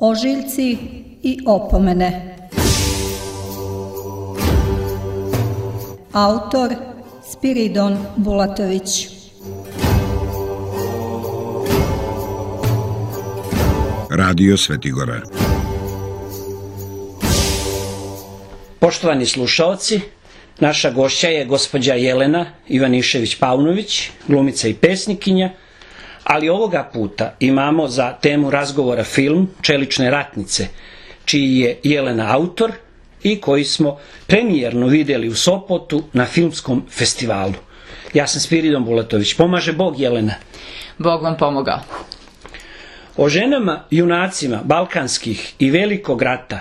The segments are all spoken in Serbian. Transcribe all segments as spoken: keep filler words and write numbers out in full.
Ožiljci i opomene. Autor Spiridon Bulatović. Radio Svetigora. Poštovani slušaoci, naša gošća je gospođa Jelena Ivanišević-Paunović, glumica i pesnikinja, ali ovoga puta imamo za temu razgovora film Čelične ratnice, čiji je Jelena autor i koji smo premijerno vidjeli u Sopotu na filmskom festivalu. Ja sam Spiridon Bulatović. Pomaže Bog, Jelena. Bog vam pomogao. O ženama, junacima balkanskih i velikog rata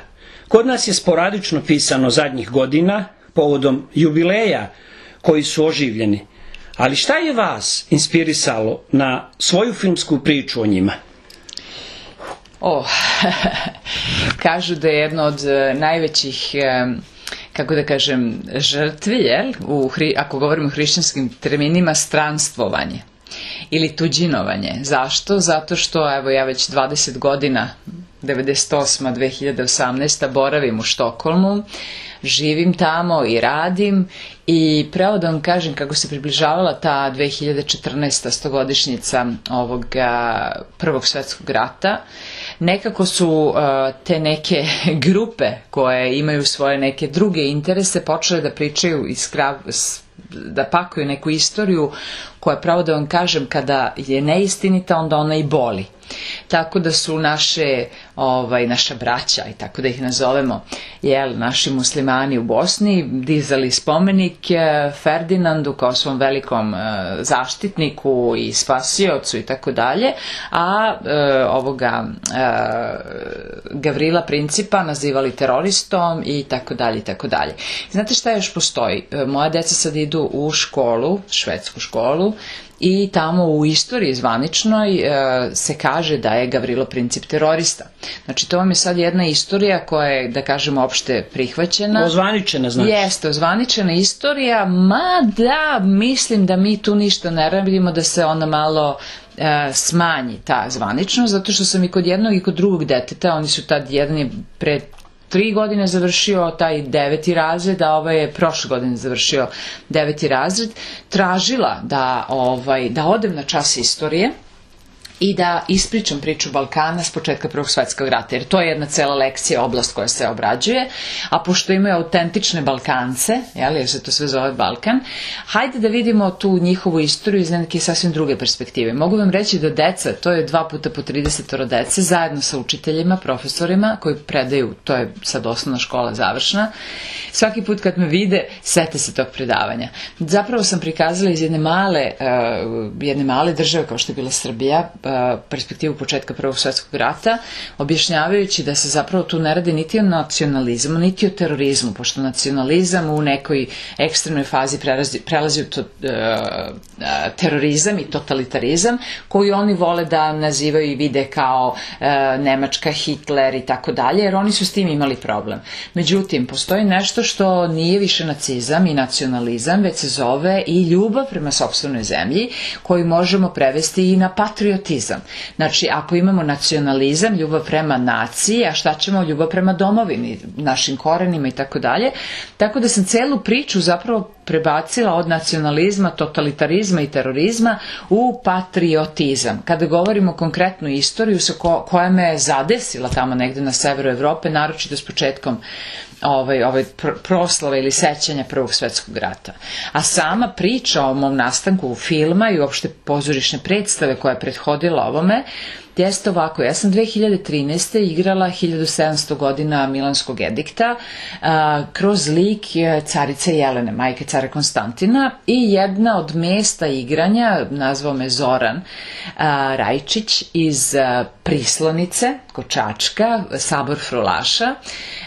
kod nas je sporadično pisano zadnjih godina povodom jubileja koji su oživljeni. Ali šta je vas inspirisalo na svoju filmsku priču o njima? O, kažu da je jedno od najvećih, kako da kažem, žrtvi, jel? U, ako govorimo o hrišćanskim terminima, stranstvovanje ili tuđinovanje. Zašto? Zato što, evo, ja već dvadeset godina, devedeset osma do dve hiljade osamnaeste. boravim u Štokholmu, živim tamo i radim i pravo da vam kažem kako se približavala ta dve hiljade četrnaesta. stogodišnjica ovog Prvog svjetskog rata, nekako su uh, te neke grupe koje imaju svoje neke druge interese počele da pričaju iz krav, da pakuju neku istoriju koja, pravo da vam kažem, kada je neistinita, onda ona i boli. Tako da su naše, ovaj, naša braća, i tako da ih nazovemo, jel, naši muslimani u Bosni dizali spomenik Ferdinandu kao svom velikom e, zaštitniku i spasiocu i tako dalje, a e, ovoga e, Gavrila Principa nazivali teroristom i tako dalje i tako dalje. Znate šta još postoji? E, moja deca sad idu u školu, švedsku školu, i tamo u istoriji zvaničnoj e, se kaže da je Gavrilo Princip terorista. Znači, to vam je sad jedna istorija koja je, da kažemo, opšte prihvaćena. Ozvaničena, znači. Jeste, ozvaničena istorija, mada mislim da mi tu ništa ne radimo, da se ona malo e, smanji ta zvaničnost, zato što sam i kod jednog i kod drugog deteta, oni su tad, jedan je pred tri godine završio taj deveti razred, a ovaj je prošle godine završio deveti razred, tražila da, ovaj, da odem na čas istorije i da ispričam priču Balkana s početka Prvog svjetskog rata, jer to je jedna cela lekcija, oblast koja se obrađuje, a pošto imaju autentične Balkance, jel, jer se to sve zove Balkan, hajde da vidimo tu njihovu istoriju iz neke sasvim druge perspektive. Mogu vam reći da deca, to je dva puta po tridesetoro dece, zajedno sa učiteljima, profesorima koji predaju, to je sad osnovna škola završna, svaki put kad me vide, sete se tog predavanja. Zapravo sam prikazala iz jedne male, uh, jedne male države kao što je bila Srbija, perspektivu početka Prvog svjetskog rata, objašnjavajući da se zapravo tu ne radi niti o nacionalizmu, niti o terorizmu, pošto nacionalizam u nekoj ekstremnoj fazi prelazi, prelazi u to, uh, terorizam i totalitarizam, koji oni vole da nazivaju i vide kao uh, Nemačka, Hitler i tako dalje, jer oni su s tim imali problem. Međutim, postoji nešto što nije više nacizam i nacionalizam, već se zove i ljubav prema sopstvenoj zemlji, koju možemo prevesti i na patriotizam. Znači, ako imamo nacionalizam, ljubav prema naciji, a šta ćemo, ljubav prema domovini, našim korenima i tako dalje. Tako da sam celu priču zapravo prebacila od nacionalizma, totalitarizma i terorizma u patriotizam. Kada govorimo konkretnu istoriju sa ko, koja me je zadesila tamo negde na severu Evrope, naročito s početkom Ovaj, ovaj proslave ili sećanja Prvog svjetskog rata. A sama priča o mom nastanku filma i uopšte pozorišne predstave koja je prethodila ovome jeste ovako. Ja sam dve hiljade trinaeste. igrala hiljadu sedamsto godina Milanskog edikta a, kroz lik carice Jelene, majke cara Konstantina, i jedna od mesta igranja, nazvao me Zoran a, Rajčić iz a, Prislonice, kod Čačka, Sabor Frulaša.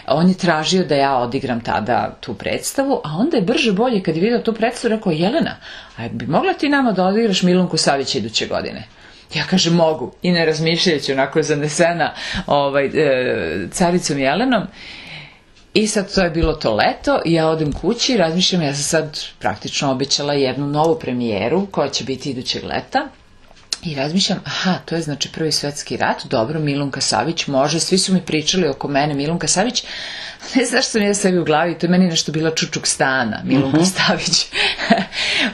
On je tražio da ja odigram tada tu predstavu, a onda je brže bolje kad je vidio tu predstavu rekao: Jelena, a bi mogla ti nama da odigraš Milunku Savić iduće godine? Ja kažem mogu, i ne razmišljajući, onako zanesena ovaj, e, caricom Jelenom. I sad to je bilo to leto i ja odem kući i razmišljam, ja sam sad praktično obećala jednu novu premijeru koja će biti idućeg leta. I razmišljam, aha, to je znači Prvi svetski rat, dobro, Milunka Savić može, svi su mi pričali oko mene, Milunka Savić, ne znaš što mi je sebi u glavi, to je meni nešto bila Čučuk Stana, Milunka uh-huh. Stavić.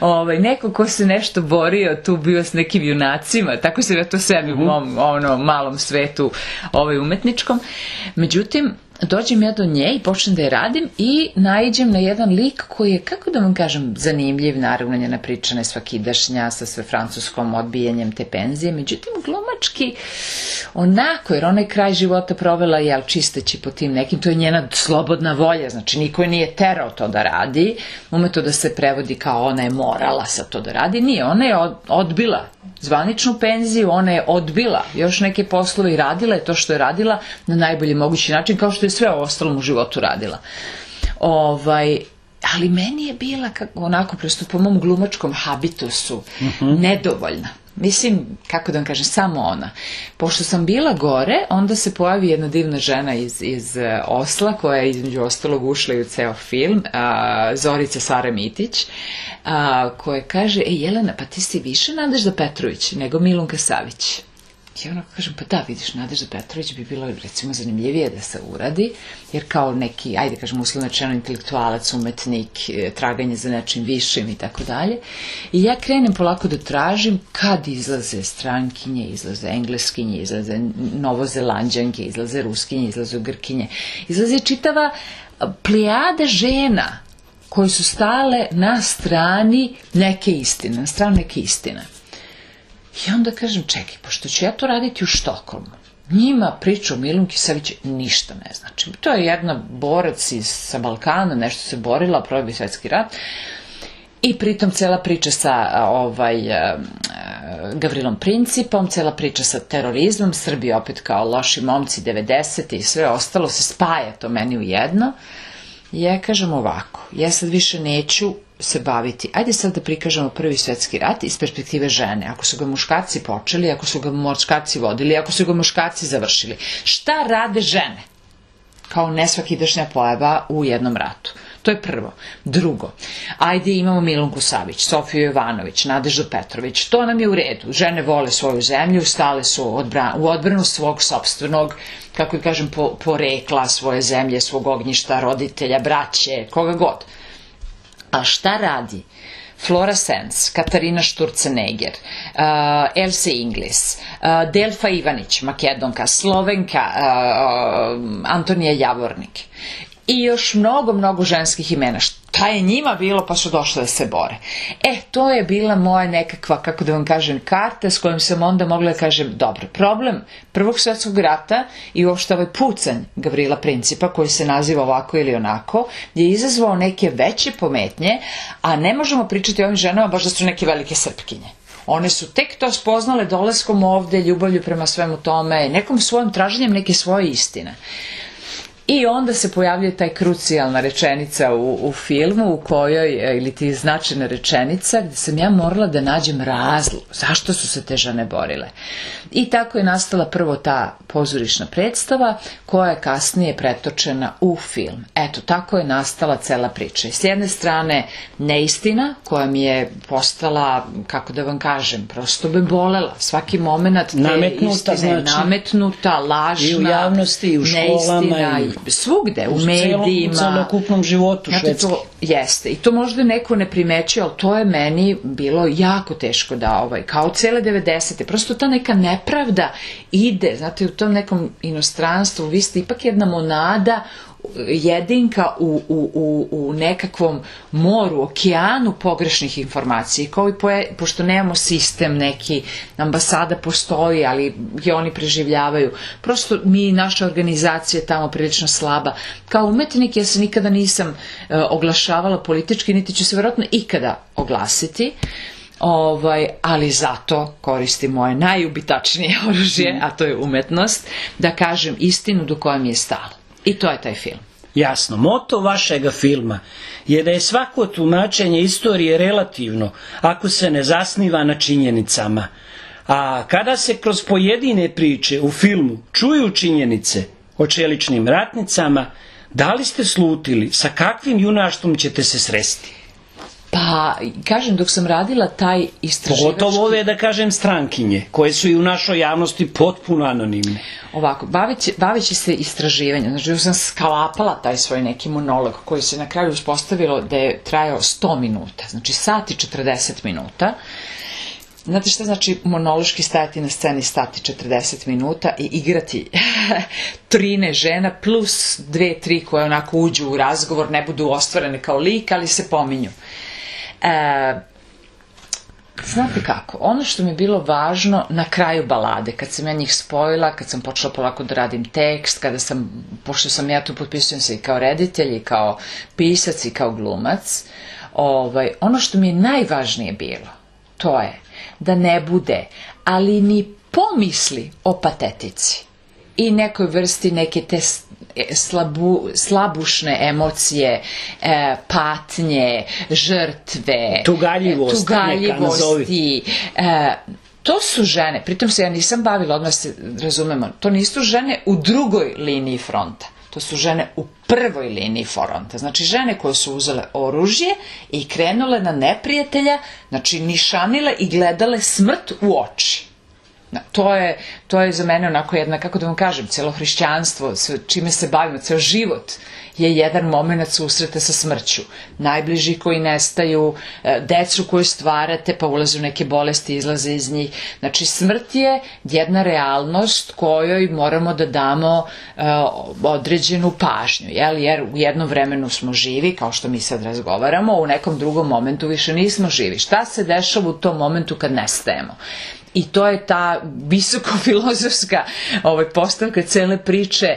ovaj, neko ko se nešto borio, tu bio s nekim junacima, tako se ja to sebi uh-huh. u mom ono, malom svetu ovaj, umetničkom. Međutim, dođem ja do nje i počnem da je radim i naiđem na jedan lik koji je, kako da vam kažem, zanimljiv, naravno njena pričana je svakidašnja sa sve francuskom odbijanjem te penzije, međutim glumački onako, jer ona je kraj života provela jel, čisteći po tim nekim, to je njena slobodna volja, znači niko je nije terao to da radi, umeto da se prevodi kao ona je morala sa to da radi, nije, ona je odbila zvaničnu penziju, ona je odbila još neke poslove i radila je to što je radila na najbolji mogući način, kao što je sve o ostalom u životu radila. Ovaj, ali meni je bila kako, onako, prosto po mom glumačkom habitusu, uh-huh. nedovoljna. Mislim, kako da vam kažem, samo ona. Pošto sam bila gore, onda se pojavi jedna divna žena iz, iz Osla, koja je između ostalog ušla i u ceo film, a, Zorica Sara Mitić, a, koja kaže, e Jelena, pa ti si više Nadežda Petrović nego Milunka Savić. I onako kažem, pa da, vidiš, Nadežda Petrović bi bilo recimo zanimljivije da se uradi, jer kao neki, ajde kažem, uslovno rečeno intelektualac, umetnik, traganje za nečim višim i tako dalje. I ja krenem polako da tražim kad izlaze strankinje, izlaze engleskinje, izlaze novozelanđanke, izlaze ruskinje, izlaze grkinje. Izlaze čitava plejada žena koji su stale na strani neke istine, na stranu neke istine. I onda kažem, čekaj, pošto ću ja to raditi u Štokholmu, njima priča o Milunki Savić ništa ne znači. To je jedna borac iz, sa Balkana, nešto se borila, Prvi svetski rat, i pritom cela priča sa ovaj, Gavrilom Principom, cela priča sa terorizmom, Srbi opet kao loši momci devedesete i sve ostalo se spaja to meni u jedno. I ja kažem ovako, ja sad više neću se baviti, ajde sad da prikažemo Prvi svetski rat iz perspektive žene, ako su ga muškarci počeli, ako su ga muškarci vodili, ako su ga muškarci završili. Šta rade žene kao nesvakidašnja pojava u jednom ratu? To je prvo. Drugo, ajde imamo Milunku Savić, Sofiju Jovanović, Nadeždu Petrović, to nam je u redu. Žene vole svoju zemlju, stale su u odbranu svog sopstvenog, kako i kažem, porekla, svoje zemlje, svog ognjišta, roditelja, braće, koga god. A šta radi Flora Sens, Katarina Šturcenegger, uh, Else Inglis, uh, Delfa Ivanić, Makedonka, Slovenka, uh, Antonija Javornik i još mnogo, mnogo ženskih imena. Šta je njima bilo pa su došle da se bore? E, to je bila moja nekakva, kako da vam kažem, karta s kojom sam onda mogla da kažem, dobro, problem Prvog svetskog rata i uopšte ovaj pucanj Gavrila Principa, koji se naziva ovako ili onako, je izazvao neke veće pometnje, a ne možemo pričati o ovim ženama baš da su neke velike srpkinje. One su tek to spoznale dolaskom ovde, ljubavlju prema svemu tome, nekom svojom traženjem neke svoje istine. I onda se pojavljuje taj krucijalna rečenica u, u filmu u kojoj, ili ti značajna rečenica, gde sam ja morala da nađem razlog zašto su se te žene borile. I tako je nastala prvo ta pozorišna predstava koja je kasnije pretočena u film. Eto, tako je nastala cela priča. I s jedne strane neistina koja mi je postala, kako da vam kažem, prosto me bolela. Svaki moment te nametnuta, istine znači, nametnuta, lažna, i u javnosti, i u školama, i svugde, u medijima. U celokupnom životu Švedske. To jeste. I to možda neko ne primećuje, ali to je meni bilo jako teško da, ovaj, kao cele devedesete. Prosto ta neka nepravda ide, znate, u tom nekom inostranstvu, vi ste ipak jedna monada, jedinka u, u, u, u nekakvom moru, okeanu pogrešnih informacija, kao i poje, pošto nemamo sistem neki, ambasada postoji, ali i oni preživljavaju, prosto mi, naša organizacija je tamo prilično slaba. Kao umetnik ja se nikada nisam e, oglašavala politički, niti ću se vjerojatno ikada oglasiti, Ovaj, ali zato koristim moje najubitačnije oružje, a to je umetnost, da kažem istinu do koje mi je stalo. I to je taj film. Jasno, moto vašega filma je da je svako tumačenje istorije relativno ako se ne zasniva na činjenicama. A kada se kroz pojedine priče u filmu čuju činjenice o čeličnim ratnicama, da li ste slutili sa kakvim junaštvom ćete se sresti? Pa, kažem, dok sam radila taj istraživački... Pogotovo ove, da kažem, strankinje, koje su i u našoj javnosti potpuno anonimne. Ovako, baveći, baveći se istraživanjem, znači sam sklapala taj svoj neki monolog koji se na kraju uspostavilo da je trajao sto minuta, znači sat i četrdeset minuta. Znate šta znači monološki stajati na sceni stati četrdeset minuta i igrati trine žena plus dve, tri koje onako uđu u razgovor, ne budu ostvarene kao lik, ali se pominju. E, znate kako, ono što mi je bilo važno na kraju balade, kad sam ja njih spojila, kad sam počela polako da radim tekst, kada sam, pošto sam ja tu potpisujem se i kao reditelj, i kao pisac, i kao glumac, ovaj, ono što mi je najvažnije bilo, to je da ne bude, ali ni pomisli o patetici i nekoj vrsti neke te slabu, slabušne emocije, e, patnje, žrtve, tugaljivost, tugaljivosti. E, to su žene, pritom se ja nisam bavila, odmah se razumemo, to nisu žene u drugoj liniji fronta. To su žene u prvoj liniji fronta. Znači žene koje su uzele oružje i krenule na neprijatelja, znači nišanile i gledale smrt u oči. To je, to je za mene onako jedna, kako da vam kažem, cijelo hrišćanstvo, čime se bavimo, ceo život je jedan moment susreta sa smrću. Najbliži koji nestaju, decu koju stvarate pa ulaze u neke bolesti, izlaze iz njih. Znači smrt je jedna realnost kojoj moramo da damo uh, određenu pažnju, jel? Jer u jednom vremenu smo živi, kao što mi sad razgovaramo, u nekom drugom momentu više nismo živi. Šta se dešava u tom momentu kad nestajemo? I to je ta visokofilozofska ovaj, postavka cele priče.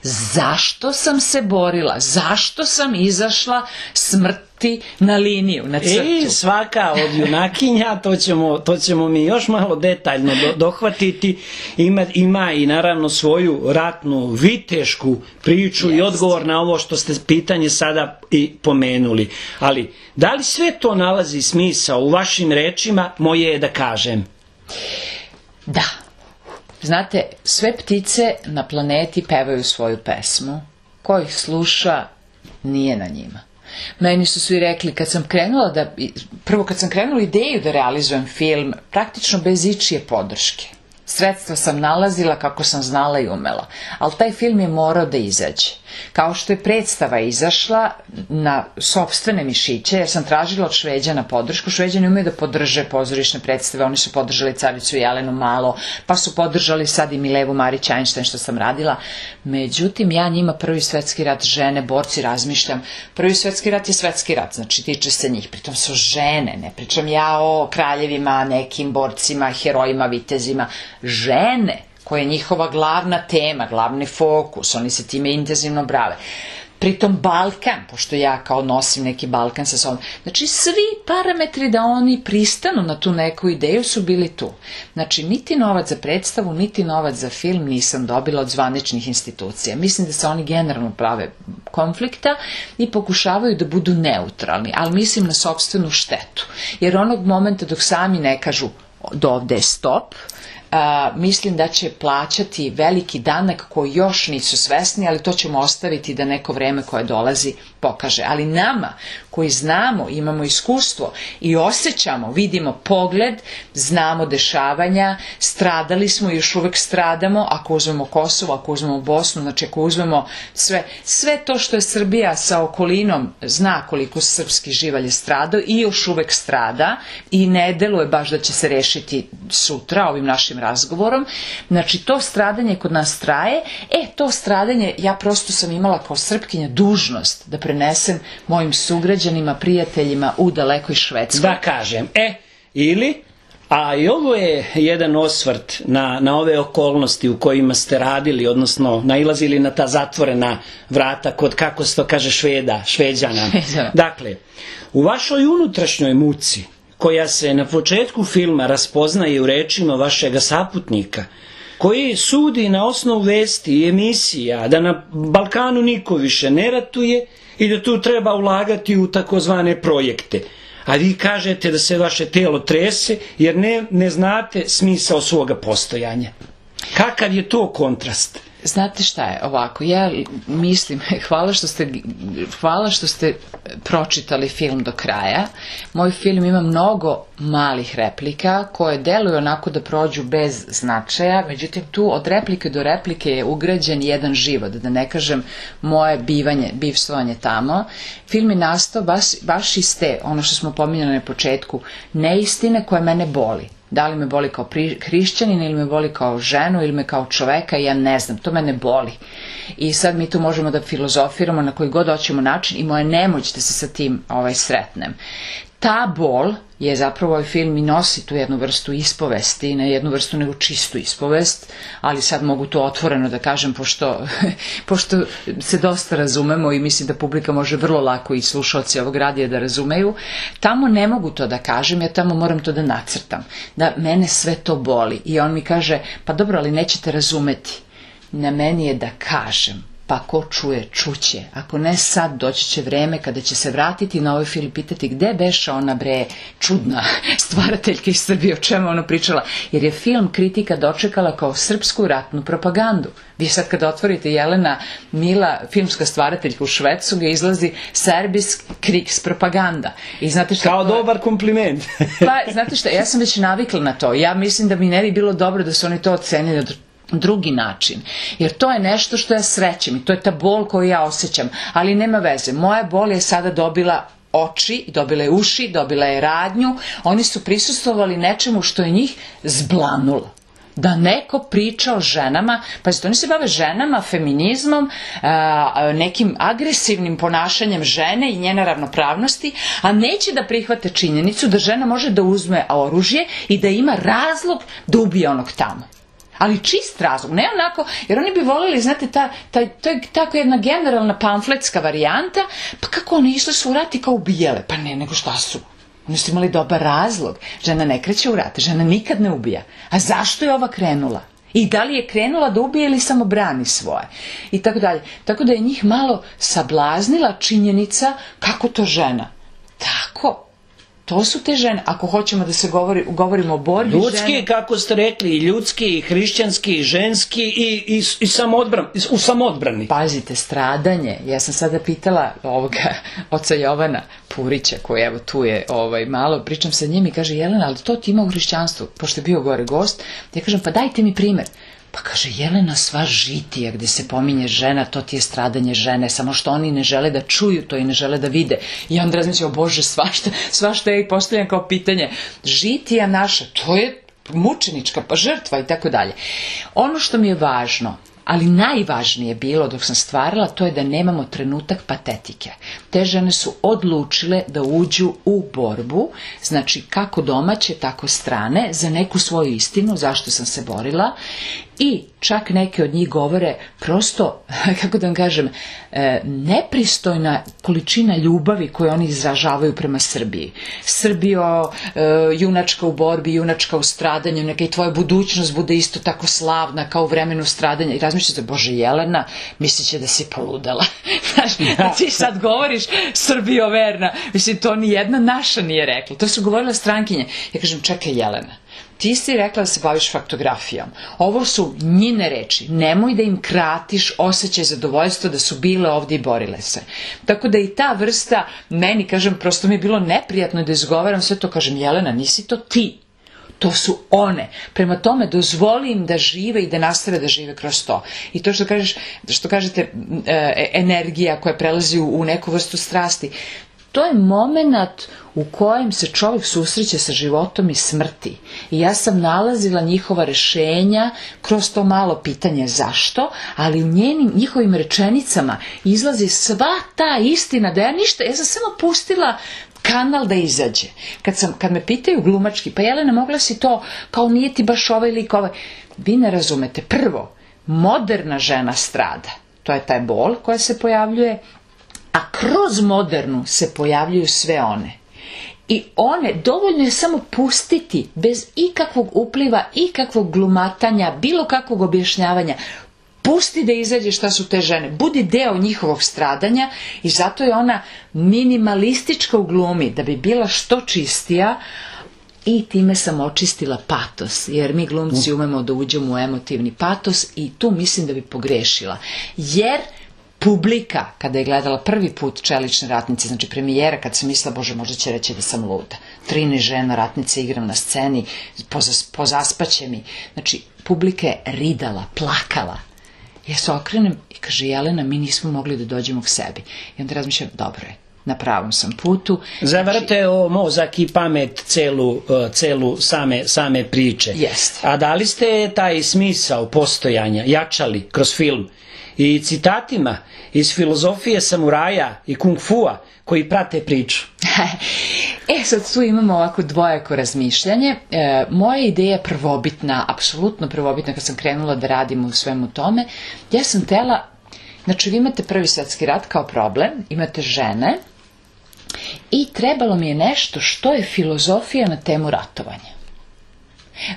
Zašto sam se borila? Zašto sam izašla smrti na liniju, na crtu? E, svaka od junakinja, to ćemo, to ćemo mi još malo detaljno do, dohvatiti, ima, ima i naravno svoju ratnu, vitešku priču yes. i odgovor na ovo što ste pitanje sada i pomenuli. Ali, da li sve to nalazi smisao u vašim rečima, moje je da kažem? Da. Znate, sve ptice na planeti pevaju svoju pesmu. Ko ih sluša, nije na njima. Meni su svi rekli, kad sam krenula da, prvo kad sam krenula ideju da realizujem film, praktično bez ičije podrške. Sredstva sam nalazila kako sam znala i umela, ali taj film je morao da izađe. Kao što je predstava izašla na sopstvene mišiće, jer sam tražila od Šveđana podršku. Šveđani umeju da podrže pozorišne predstave, oni su podržali Caricu Jelenu malo, pa su podržali sad i Milevu Marić Einstein što sam radila. Međutim, ja njima Prvi svetski rat, žene, borci, razmišljam. Prvi svetski rat je svetski rat, znači tiče se njih, pritom su žene, ne pričam ja o kraljevima, nekim borcima, herojima, vitezima, žene, koja je njihova glavna tema, glavni fokus, oni se time intenzivno brave. Pritom Balkan, pošto ja kao nosim neki Balkan sa sobom, znači svi parametri da oni pristanu na tu neku ideju su bili tu. Znači niti novac za predstavu, niti novac za film nisam dobila od zvaničnih institucija. Mislim da se oni generalno prave konflikta i pokušavaju da budu neutralni, ali mislim na sopstvenu štetu. Jer onog momenta dok sami ne kažu do ovde je stop, Uh, mislim da će plaćati veliki danak koji još nisu svesni, ali to ćemo ostaviti da neko vreme koje dolazi pokaže. Ali nama koji znamo, imamo iskustvo i osjećamo, vidimo pogled, znamo dešavanja, stradali smo i još uvek stradamo, ako uzmemo Kosovo, ako uzmemo Bosnu, znači ako uzmemo sve, sve to što je Srbija sa okolinom zna koliko srpski živalj je stradao i još uvek strada i ne deluje baš da će se rešiti sutra ovim našim razgovorom. Znači to stradanje kod nas traje, e to stradanje ja prosto sam imala kao Srpkinja dužnost da prenesem mojim sugrađanima, prijateljima u dalekoj Švedskoj. Da kažem, e, ili, a i ovo je jedan osvrt na, na ove okolnosti u kojima ste radili, odnosno nailazili na ta zatvorena vrata kod, kako se to kaže, Šveda, Šveđana. Dakle, u vašoj unutrašnjoj muci, koja se na početku filma raspoznaje u rečima vašega saputnika, koji sudi na osnovu vesti i emisija da na Balkanu niko više ne ratuje i da tu treba ulagati u takozvane projekte. A vi kažete da se vaše telo trese jer ne, ne znate smisao svoga postojanja. Kakav je to kontrast? Znate šta je, ovako, ja mislim, hvala što ste, hvala što ste pročitali film do kraja. Moj film ima mnogo malih replika koje deluju onako da prođu bez značaja, međutim tu od replike do replike je ugrađen jedan život, da ne kažem moje bivanje, bivstvovanje tamo. Film je nastao baš, baš iz te, ono što smo pominjali na početku, neistine koje mene boli. Da li me boli kao hrišćanin ili me boli kao ženu ili me kao čoveka, ja ne znam, to mene boli. I sad mi tu možemo da filozofiramo na koji god hoćemo način i moja nemoć da se sa tim ovaj, sretnem. Ta bol je zapravo ovaj film i nosi tu jednu vrstu ispovesti, ne jednu vrstu nego čistu ispovest, ali sad mogu to otvoreno da kažem pošto, pošto se dosta razumemo i mislim da publika može vrlo lako i slušalci ovog radija da razumeju. Tamo ne mogu to da kažem, ja tamo moram to da nacrtam, da mene sve to boli i on mi kaže pa dobro, ali nećete razumeti. Na meni je da kažem, pa ko čuje, čuće. Ako ne sad, doći će vreme kada će se vratiti na ovaj film i pitati gde beše ona bre čudna stvarateljka iz Srbije, o čemu ona pričala. Jer je film kritika dočekala kao srpsku ratnu propagandu. Vi sad kada otvorite Jelena Mila, filmska stvarateljka u Švedsu, ga izlazi Serbisk krigspropaganda. I znate šta, kao dobar kompliment. Pa, znate šta, ja sam već navikla na to. Ja mislim da mi ne bi bilo dobro da su oni to ocenili od drugi način, jer to je nešto što ja srećem i to je ta bol koju ja osjećam, ali nema veze, moja bol je sada dobila oči, dobila je uši, dobila je radnju, oni su prisustvovali nečemu što je njih zblanulo. Da neko priča o ženama, pazite, oni se bave ženama, feminizmom, nekim agresivnim ponašanjem žene i njene ravnopravnosti, a neće da prihvate činjenicu da žena može da uzme oružje i da ima razlog da ubije onog tamo. Ali čist razlog, ne onako, jer oni bi voljeli, znate, ta, ta, to je tako jedna generalna pamfletska varijanta, pa kako oni išli su u rat i kao ubijale, pa ne, nego šta su? Oni su imali dobar razlog, žena ne kreće u rat, žena nikad ne ubija, a zašto je ova krenula? I da li je krenula da ubije ili samo brani svoje? I tako dalje. Tako da je njih malo sablaznila činjenica kako to žena. Tako. To su te žene, ako hoćemo da se govori, govorimo o borbi žene. Ljudski, kako ste rekli, i ljudski, i hrišćanski, i ženski, i, i, i samodbran, u samodbrani. Pazite, stradanje. Ja sam sada pitala ovoga oca Jovana Purića, koji evo tu je ovaj, malo, pričam sa njim i kaže, Jelena, ali to ti ima u hrišćanstvu, pošto je bio gore gost. Ja kažem, pa dajte mi primer. Pa kaže, Jelena, sva žitija gde se pominje žena, to ti je stradanje žene, samo što oni ne žele da čuju to i ne žele da vide. I onda razmišljam, o Bože, svašta, svašta je postavljam kao pitanje. Žitija naša, to je mučenička pa žrtva i tako dalje. Ono što mi je važno, ali najvažnije bilo dok sam stvarala, to je da nemamo trenutak patetike. Te žene su odlučile da uđu u borbu, znači kako domaće, tako strane, za neku svoju istinu, zašto sam se borila. I čak neke od njih govore prosto, kako da vam kažem, nepristojna količina ljubavi koju oni izražavaju prema Srbiji. Srbijo, junačka u borbi, junačka u stradanju, neka i tvoja budućnost bude isto tako slavna kao u vremenu stradanja. I razmišljate, Bože, Jelena, mislit će da si poludala. Znaš, da ti sad govoriš Srbijo verna, mislim, to ni jedna naša nije rekla. To su govorile strankinje. Ja kažem, čekaj, Jelena, ti si rekla da se baviš faktografijom. Ovo su njine reči. Nemoj da im kratiš osjećaj zadovoljstva da su bile ovdje i borile se. Tako da i ta vrsta, meni, kažem, prosto mi je bilo neprijatno da izgovaram sve to. Kažem, Jelena, nisi to ti. To su one. Prema tome, dozvoli im da žive i da nastave da žive kroz to. I to što kažeš, što kažete, e, energija koja prelazi u, u neku vrstu strasti, to je moment u kojem se čovjek susreće sa životom i smrti. I ja sam nalazila njihova rešenja kroz to malo pitanje zašto, ali u njenim, njihovim rečenicama izlazi sva ta istina da ja ništa, ja sam samo pustila kanal da izađe. Kad, sam, kad me pitaju glumački, pa Jelena, mogla si to, kao nije ti baš ovaj lik ovaj. Vi ne razumete. Prvo, moderna žena strada. To je taj bol koja se pojavljuje, a kroz modernu se pojavljuju sve one. I one, dovoljno je samo pustiti, bez ikakvog upliva, ikakvog glumatanja, bilo kakvog objašnjavanja, pusti da izađe šta su te žene, budi deo njihovog stradanja i zato je ona minimalistička u glumi, da bi bila što čistija, i time sam očistila patos, jer mi glumci umemo da uđemo u emotivni patos i tu mislim da bi pogrešila. Jer publika, kada je gledala prvi put Čelične ratnice, znači premijera, kad sam mislila, bože, možda će reći da sam luda. trinaest žena ratnice igram na sceni, pozas, pozaspaće mi. Znači, publika je ridala, plakala. Ja se okrenem i kaže, Jelena, mi nismo mogli da dođemo k sebi. I onda razmišljam, dobro je, na pravom sam putu. Zavrte o mozak i pamet celu, celu same, same priče. Jeste. A da li ste taj smisao postojanja jačali kroz film i citatima iz filozofije samuraja i kung fua koji prate priču? E, sad tu imamo ovako dvojako razmišljanje. E, moja ideja je prvobitna, apsolutno prvobitna kad sam krenula da radim u svemu tome. Ja sam tela, znači vi imate prvi svetski rat kao problem, imate žene i trebalo mi je nešto što je filozofija na temu ratovanja.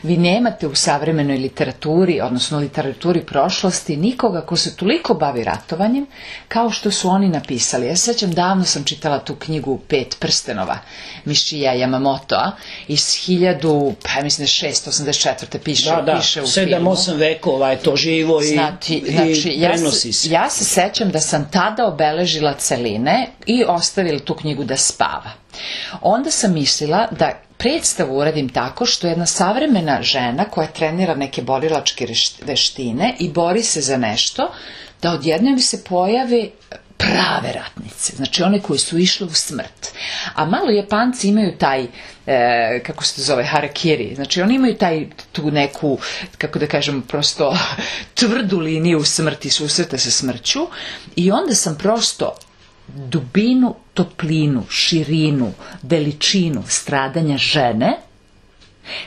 Vi nemate u savremenoj literaturi, odnosno literaturi prošlosti, nikoga ko se toliko bavi ratovanjem kao što su oni napisali. Ja se sjećam, davno sam čitala tu knjigu Pet prstenova Mišija Yamamotoa iz hiljadu, pa mislim da šesto osamdeset četvrte piše, da, da, piše u sedam, filmu. osam vekova je to živo i, znači, i znači, ja prenosi se. se. Ja se sećam da sam tada obeležila celine i ostavila tu knjigu da spava. Onda sam mislila da predstavu uradim tako što jedna savremena žena koja trenira neke borilačke veštine i bori se za nešto, da odjednom se pojave prave ratnice, znači one koje su išle u smrt. A malo Japanci imaju taj, e, kako se to zove, harakiri, znači oni imaju taj, tu neku, kako da kažem, prosto tvrdu liniju smrti, susreta sa smrću, i onda sam prosto dubinu, toplinu, širinu, veličinu stradanja žene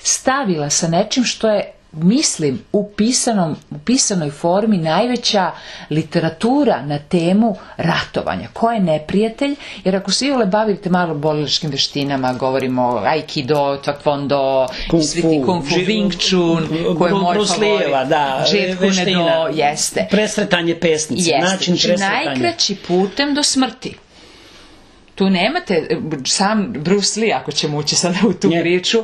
stavila sa nečim što je, mislim, u, pisanom, u pisanoj formi najveća literatura na temu ratovanja. Ko je neprijatelj? Jer ako se iole bavite malo borilačkim veštinama, govorimo o aikido, taekwondo, kung svi ti kung fu, wing chun, koje je moj favorit, da, Jeet Kune Do, jeste. Presretanje pesnice, jeste. način Znači, presretanja. najkraći putem do smrti. Tu nemate, sam Bruce Lee, ako ćemo ući sada u tu Nje. priču,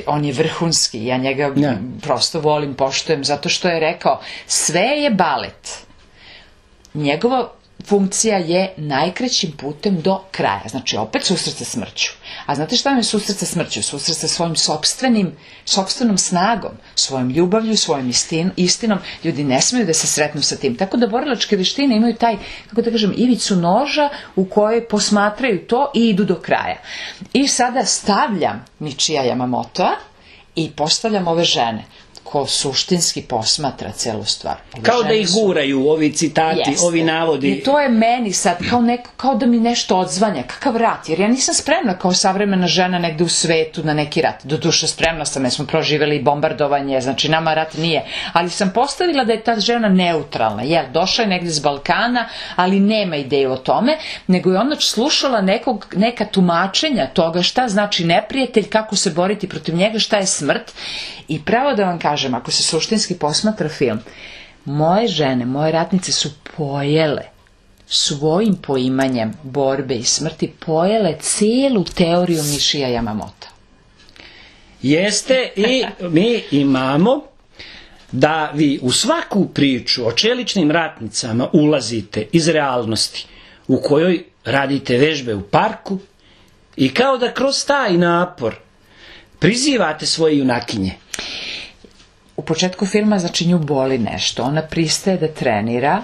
on je vrhunski, ja njega Nje. prosto volim, poštujem, zato što je rekao, sve je balet. Njegova funkcija je najkraćim putem do kraja, znači opet susret sa smrću. A znate šta vam je susret sa smrću? Susret sa svojim sopstvenim, sopstvenom snagom, svojom ljubavlju, svojom istin, istinom. Ljudi ne smeju da se sretnu sa tim. Tako da borilačke veštine imaju taj, kako da kažem, ivicu noža u kojoj posmatraju to i idu do kraja. I sada stavljam Mišija Yamamotoa i postavljam ove žene ko suštinski posmatra celu stvar. Ove Kao da žene ih su- guraju ovi citati, Jeste. ovi navodi. I to je meni sad kao, neko, kao da mi nešto odzvanja, kakav rat, jer ja nisam spremna kao savremena žena negde u svetu na neki rat. Doduše spremna sam, jer smo proživjeli bombardovanje, znači nama rat nije. Ali sam postavila da je ta žena neutralna, jel, došla je negde iz Balkana, ali nema ideju o tome, nego je onda slušala nekog, neka tumačenja toga šta znači neprijatelj, kako se boriti protiv njega, šta je smrt. I pravo da vam kažem, ako se suštinski posmatra film, moje žene, moje ratnice su pojele svojim poimanjem borbe i smrti, pojele cijelu teoriju Mišija Yamamotoa. Jeste, i mi imamo da vi u svaku priču o čeličnim ratnicama ulazite iz realnosti u kojoj radite vežbe u parku i kao da kroz taj napor prizivate svoje junakinje. U početku filma, znači, nju boli nešto, ona pristaje da trenira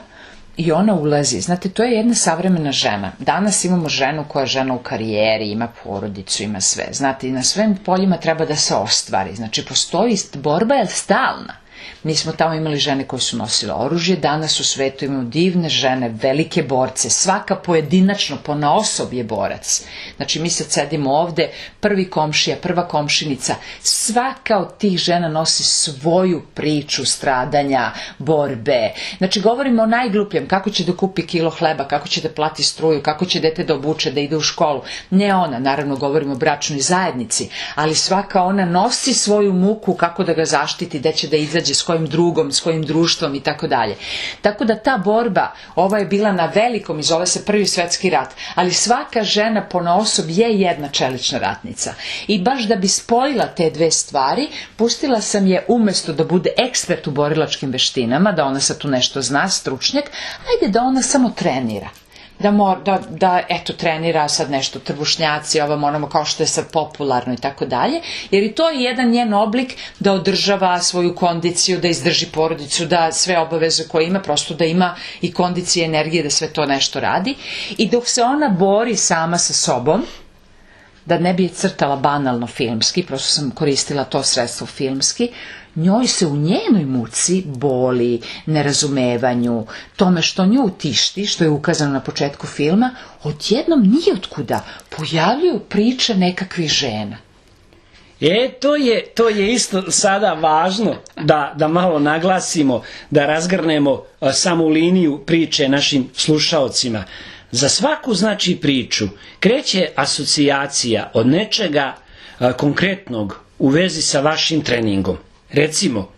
i ona ulazi. Znate, to je jedna savremena žena. Danas imamo ženu koja je žena u karijeri, ima porodicu, ima sve. Znate, i na svim poljima treba da se ostvari. Znači, postoji, borba je stalna. Mi smo tamo imali žene koje su nosile oružje, danas u svetu imamo divne žene, velike borce, svaka pojedinačno, ponaosob je borac. Znači mi sad sedimo ovde, prvi komšija, prva komšinica, svaka od tih žena nosi svoju priču stradanja, borbe. Znači govorimo o najglupljem, kako će da kupi kilo hleba, kako će da plati struju, kako će dete da obuče, da ide u školu. Ne ona, naravno govorimo o bračnoj zajednici, ali svaka ona nosi svoju muku kako da ga zaštiti, da će da izađe nađe, s kojim drugom, s kojim društvom i tako dalje. Tako da ta borba, ova je bila na velikom i zove se Prvi svetski rat, ali svaka žena ponaosob je jedna čelična ratnica. I baš da bi spojila te dve stvari, pustila sam je umesto da bude ekspert u borilačkim veštinama, da ona sad tu nešto zna, stručnjak, ajde da ona samo trenira. Da, mor, da, da eto trenira sad nešto trbušnjaci, ovom onamo kao što je sad popularno i tako dalje, jer i to je jedan njen oblik da održava svoju kondiciju, da izdrži porodicu, da sve obaveze koje ima, prosto da ima i kondicije i energije da sve to nešto radi. I dok se ona bori sama sa sobom, da ne bi je crtala banalno filmski, prosto sam koristila to sredstvo filmski, njoj se u njenoj muci, boli, nerazumevanju, tome što nju tišti, što je ukazano na početku filma, odjednom nijotkuda pojavljuju priče nekakvih žena. E, to je, to je isto sada važno da, da malo naglasimo, da razgrnemo a, samu liniju priče našim slušaocima. Za svaku, znači, priču kreće asocijacija od nečega a, konkretnog u vezi sa vašim treningom. Recimo,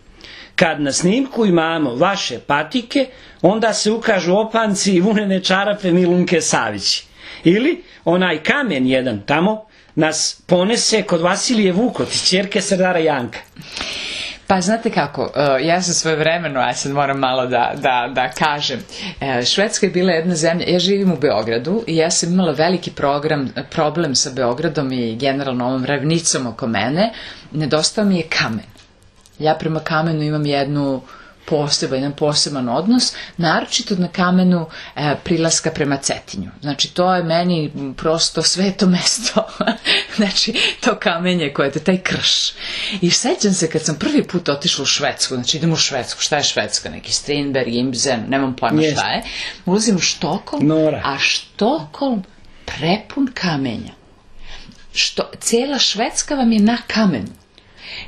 kad na snimku imamo vaše patike, onda se ukažu opanci i vunene čarape Milunke Savić. Ili onaj kamen jedan tamo nas ponese kod Vasilije Vukotić, ćerke Serdara Janka. Pa znate kako, ja sam svojevremeno, ja sad moram malo da, da, da kažem, Švedska je bila jedna zemlja, ja živim u Beogradu i ja sam imala veliki program, problem sa Beogradom i generalno ovom ravnicom oko mene, nedostao mi je kamen. Ja prema kamenu imam jednu poseban, jedan poseban odnos, naročito na kamenu e, prilaska prema Cetinju. Znači, to je meni prosto sveto mesto. Znači, to kamenje koje je taj krš. I sećam se kad sam prvi put otišla u Švedsku, znači idem u Švedsku, šta je Švedska? Neki Strindberg, Imsen, nemam pojma yes. šta je. Ulazim u Štokholm, Nora. a Štokholm prepun kamenja. Što, cijela Švedska vam je na kamenu.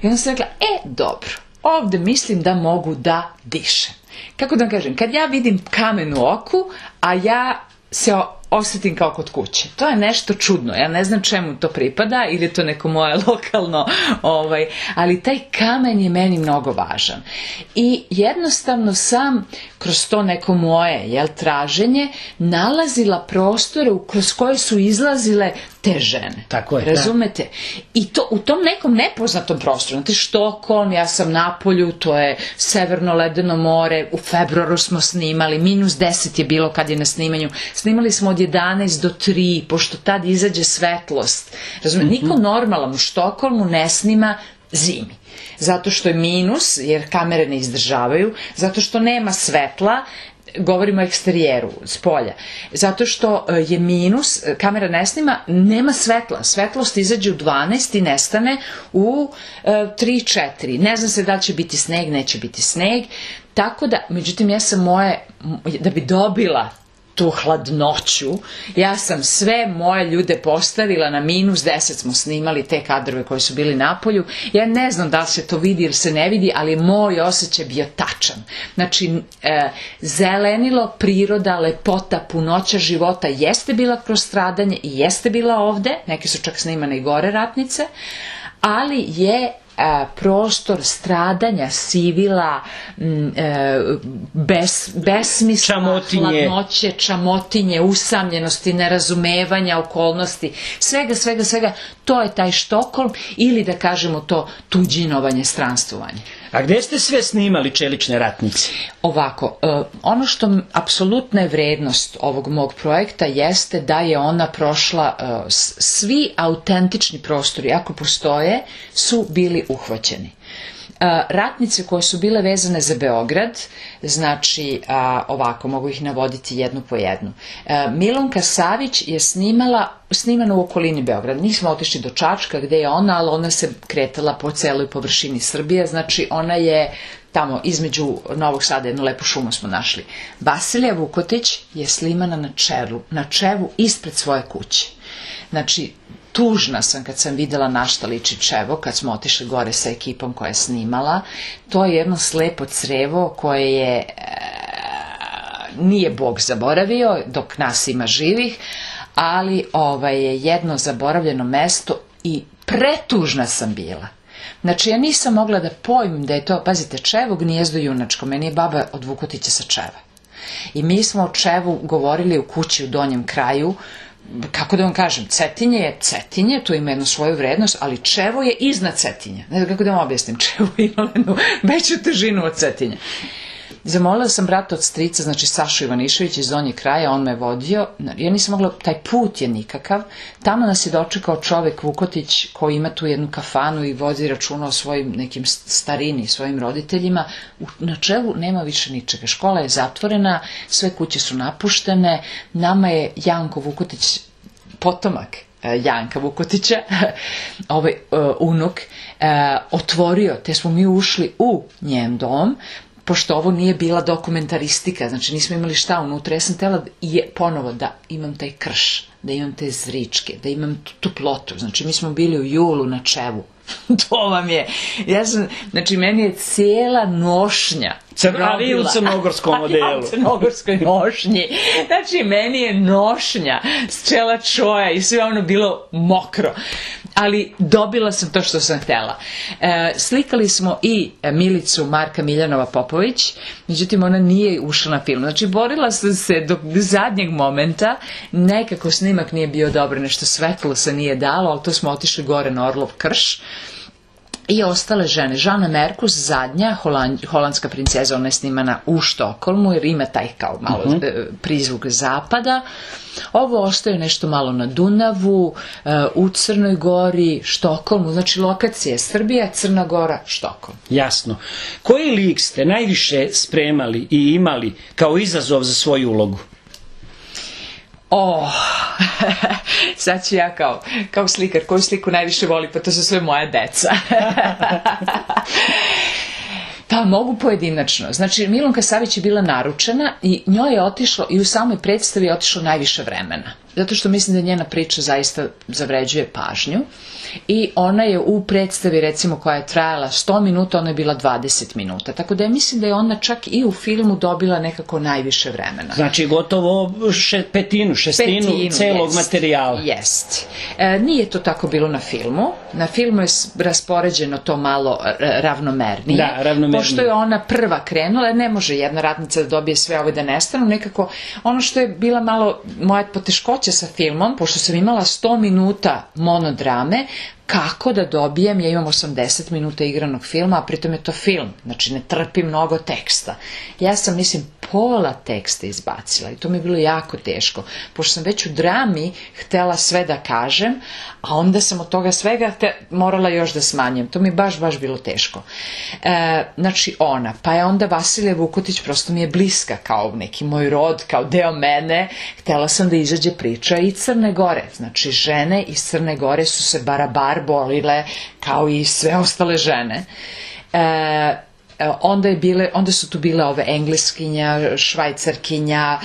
I onda sam rekla, e, dobro, ovde mislim da mogu da dišem. Kako da kažem, kad ja vidim kamen u oku, a ja se osjetim kao kod kuće. To je nešto čudno, ja ne znam čemu to pripada, ili je to neko moje lokalno, ovaj, ali taj kamen je meni mnogo važan. I jednostavno sam kroz to neko moje jel, traženje nalazila prostore kroz koje su izlazile te žene. Tako je, razumete? Da. I to u tom nekom nepoznatom prostoru. Znate, Štokholm, ja sam na polju, to je severno ledeno more, u februaru smo snimali, minus deset je bilo kad je na snimanju. Snimali smo od jedanaest do tri, pošto tad izađe svetlost. Razumete? Mm-hmm. Niko normalan u Štokholmu ne snima zimi. Zato što je minus, jer kamere ne izdržavaju, zato što nema svetla, govorimo o eksterijeru, s polja. Zato što je minus, kamera ne snima, nema svetla. Svetlost izađe u dvanaest i nestane u tri četiri. Ne znam se da li će biti sneg, neće biti sneg. Tako da, međutim, ja sam moje, da bi dobila tu hladnoću, ja sam sve moje ljude postavila na minus deset, smo snimali te kadrove koji su bili na polju. Ja ne znam da li se to vidi ili se ne vidi, ali moj osjećaj bio tačan. Znači, e, zelenilo, priroda, lepota, punoća života jeste bila kroz stradanje i jeste bila ovde, neke su čak snimane i gore ratnice, ali je prostor stradanja, sivila, bes, besmisla, čamotinje. hladnoće, čamotinje, usamljenosti, nerazumevanja okolnosti, svega, svega, svega, to je taj Štokholm ili da kažemo to tuđinovanje, stranstvovanje. A gde ste sve snimali čelične ratnice? Ovako, ono što apsolutna je vrednost ovog mog projekta jeste da je ona prošla, svi autentični prostori, ako postoje, su bili uhvaćeni. Ratnice koje su bile vezane za Beograd, znači ovako, mogu ih navoditi jednu po jednu. Milunka Savić je snimala, snimana u okolini Beograda. Nismo otišli do Čačka gde je ona, ali ona se kretala po celoj površini Srbije, znači ona je tamo između Novog Sada, jednu lepu šumu smo našli. Vasilija Vukotić je snimana na čelu, na čevu ispred svoje kuće. Znači, tužna sam kad sam videla na šta liči čevo, kad smo otišli gore sa ekipom koja je snimala. To je jedno slepo crevo koje je, e, nije Bog zaboravio dok nas ima živih, ali ovaj, je jedno zaboravljeno mesto i pretužna sam bila. Znači, ja nisam mogla da pojmim da je to, pazite, Čevo gnijezdo junačko, meni je baba od Vukotića sa Čeva. I mi smo o Čevu govorili u kući u donjem kraju, kako da vam kažem, Cetinje je Cetinje, to ima jednu svoju vrednost, ali Čevo je iznad Cetinja. Ne znam kako da vam objasnim, Čevo ima jednu veću težinu od Cetinja. Zamolila sam brata od strica, znači Sašu Ivanišević iz donjeg kraja, on me vodio, ja nisam mogla, taj put je nikakav, tamo nas je dočekao čovek Vukotić koji ima tu jednu kafanu i vodi računa o svojim nekim starini, svojim roditeljima. Na Čevu nema više ničega, škola je zatvorena, sve kuće su napuštene, nama je Janko Vukotić, potomak Janka Vukotića, ovaj uh, unuk, uh, otvorio, te smo mi ušli u njen dom, pošto ovo nije bila dokumentaristika, znači nismo imali šta unutra, ja sam htjela je ponovo da imam taj krš, da imam te zričke, da imam tu toplotu, znači mi smo bili u julu na Čevu, to vam je, ja sam, znači meni je cijela nošnja, a vi u crnogorskom modelu. Ja u crnogorskoj nošnji. Znači, meni je nošnja s čela čoja i sve ono bilo mokro. Ali dobila sam to što sam htjela. E, slikali smo i Milicu Marka Miljanova Popović, međutim ona nije ušla na film. Znači, borila sam se do zadnjeg momenta, nekako snimak nije bio dobro, nešto svetlo se nije dalo, ali to smo otišli gore na Orlov krš. I ostale žene. Žana Merkus, zadnja, holand, holandska princeza, ona je snimana u Štokholmu, jer ima taj kao malo uh -huh. prizvuk zapada. Ovo ostaje nešto malo na Dunavu, u Crnoj Gori, Štokholmu, znači lokacije Srbija, Crna Gora, Štokholm. Jasno. Koji lik ste najviše spremali i imali kao izazov za svoju ulogu? O, sad ću ja kao, kao slikar, koju sliku najviše voli, pa to su sve moja deca. Pa mogu pojedinačno. Znači, Milunka Savić je bila naručena i njoj je otišlo, i u samoj predstavi je otišlo najviše vremena. Zato što mislim da njena priča zaista zavređuje pažnju. I ona je u predstavi, recimo, koja je trajala sto minuta, ona je bila dvadeset minuta. Tako da ja mislim da je ona čak i u filmu dobila nekako najviše vremena. Znači, gotovo še, petinu, šestinu petinu, celog jest, materijala. Jest. E, nije to tako bilo na filmu. Na filmu je raspoređeno to malo ravnomernije. Da, ravnomernije. Pošto je ona prva krenula, ne može jedna ratnica da dobije sve ove da nestanu. Nekako, ono što je bila malo moja poteškoća sa filmom, pošto sam imala sto minuta monodrame, kako da dobijem, ja imam osamdeset minuta igranog filma, a pritom je to film, znači ne trpi mnogo teksta. Ja sam, mislim, pola teksta izbacila i to mi je bilo jako teško, pošto sam već u drami htela sve da kažem, a onda sam od toga svega te, morala još da smanjem. To mi je baš, baš bilo teško. E, znači ona, pa je onda Vasilija Vukotić, prosto mi je bliska kao neki moj rod, kao deo mene. Htela sam da izađe priča i Crne Gore. Znači žene iz Crne Gore su se barabar bolile kao i sve ostale žene. E, Onda, je bile, onda su tu bile ove engleskinja, švajcarkinja,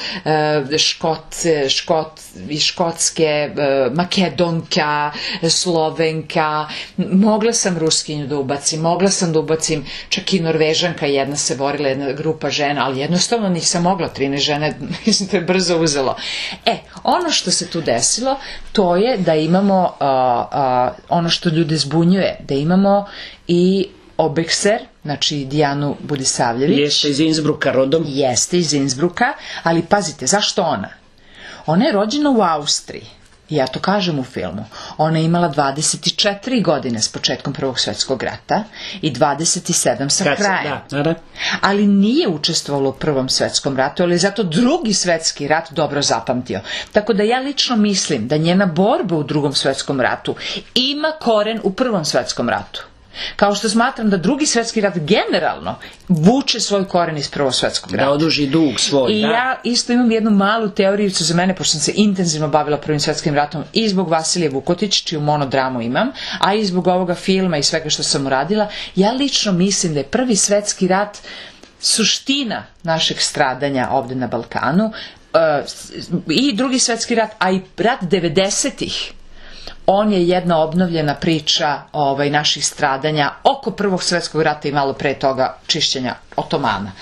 škot, škot, iz Škotske, makedonka, slovenka, mogla sam ruskinju da ubacim, mogla sam da ubacim čak i norvežanka, jedna se borila, jedna grupa žena, ali jednostavno nisam mogla, trinaest žene, mislim, to je brzo uzelo. E, ono što se tu desilo, to je da imamo, uh, uh, ono što ljude zbunjuje, da imamo i Obekser, znači Dijanu Budisavljević. Jeste iz Innsbrucka rodom. Jeste iz Innsbrucka, ali pazite, zašto ona? Ona je rođena u Austriji. Ja to kažem u filmu. Ona je imala dvadeset četiri godine s početkom Prvog svjetskog rata i dvadeset sedam sa Kad krajem. Da, da. Ali nije učestvovala u Prvom svjetskom ratu, ali je zato Drugi svjetski rat dobro zapamtio. Tako da ja lično mislim da njena borba u Drugom svjetskom ratu ima koren u Prvom svjetskom ratu. Kao što smatram da Drugi svjetski rat generalno vuče svoj koren iz Prvog svjetskog rata. Da oduži dug svoj. I da. ja isto imam jednu malu teorijicu za mene, pošto sam se intenzivno bavila Prvim svjetskim ratom i zbog Vasilije Vukotić, čiju monodramu imam, a i zbog ovoga filma i svega što sam uradila. Ja lično mislim da je Prvi svjetski rat suština našeg stradanja ovde na Balkanu, i Drugi svjetski rat, a i rat devedesetih. On je jedna obnovljena priča ovaj, naših stradanja oko Prvog svjetskog rata i malo pre toga čišćenja Otomana.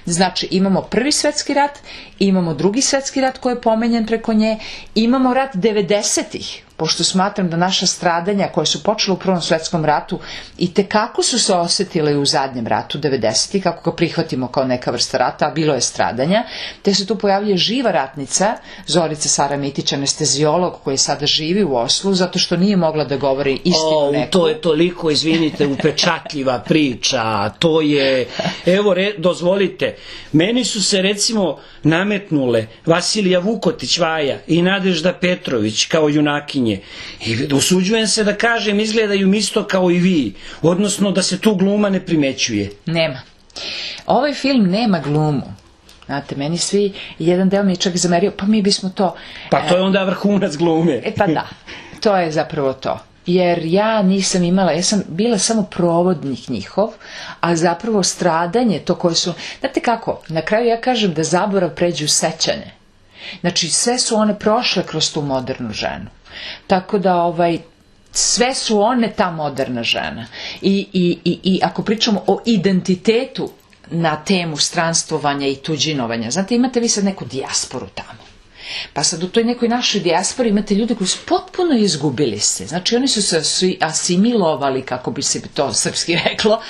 Znači, imamo prvi svetski rat, imamo drugi svetski rat koji je pomenjen preko nje, imamo rat devedesetih, pošto smatram da naša stradanja koje su počele u Prvom svetskom ratu i tekako su se osetile u zadnjem ratu devedesetih, kako ga prihvatimo kao neka vrsta rata, a bilo je stradanja, te se tu pojavljuje živa ratnica, Zorica Sara Mitić, anestezijolog koji sada živi u Oslu, zato što nije mogla da govori istinu O, neku. to je toliko, izvinite, upečatljiva priča, to je, evo, re, dozvolite, meni su se recimo nametnule Vasilija Vukotić Vaja i Nadežda Petrović kao junakinje. I usuđujem se da kažem, izgledaju mi isto kao i vi, odnosno da se tu gluma ne primećuje. Nema. Ovaj film nema glumu. Znate, meni svi, jedan deo mi je čak zamerio, pa mi bismo to... Pa to je onda vrhunac glume. E pa da, to je zapravo to. Jer ja nisam imala, ja sam bila samo provodnik njihov, a zapravo stradanje, to koje su... Znate kako, na kraju ja kažem da zaborav pređe u sećanje. Znači, sve su one prošle kroz tu modernu ženu. Tako da, ovaj, sve su one ta moderna žena. I, i, i, i ako pričamo o identitetu na temu stranstvovanja i tuđinovanja, znate, imate vi sad neku dijasporu tamo. Pa sad u toj nekoj našoj dijaspori imate ljude koji su potpuno izgubili se. Znači oni su se svi asimilovali, kako bi se to srpski reklo.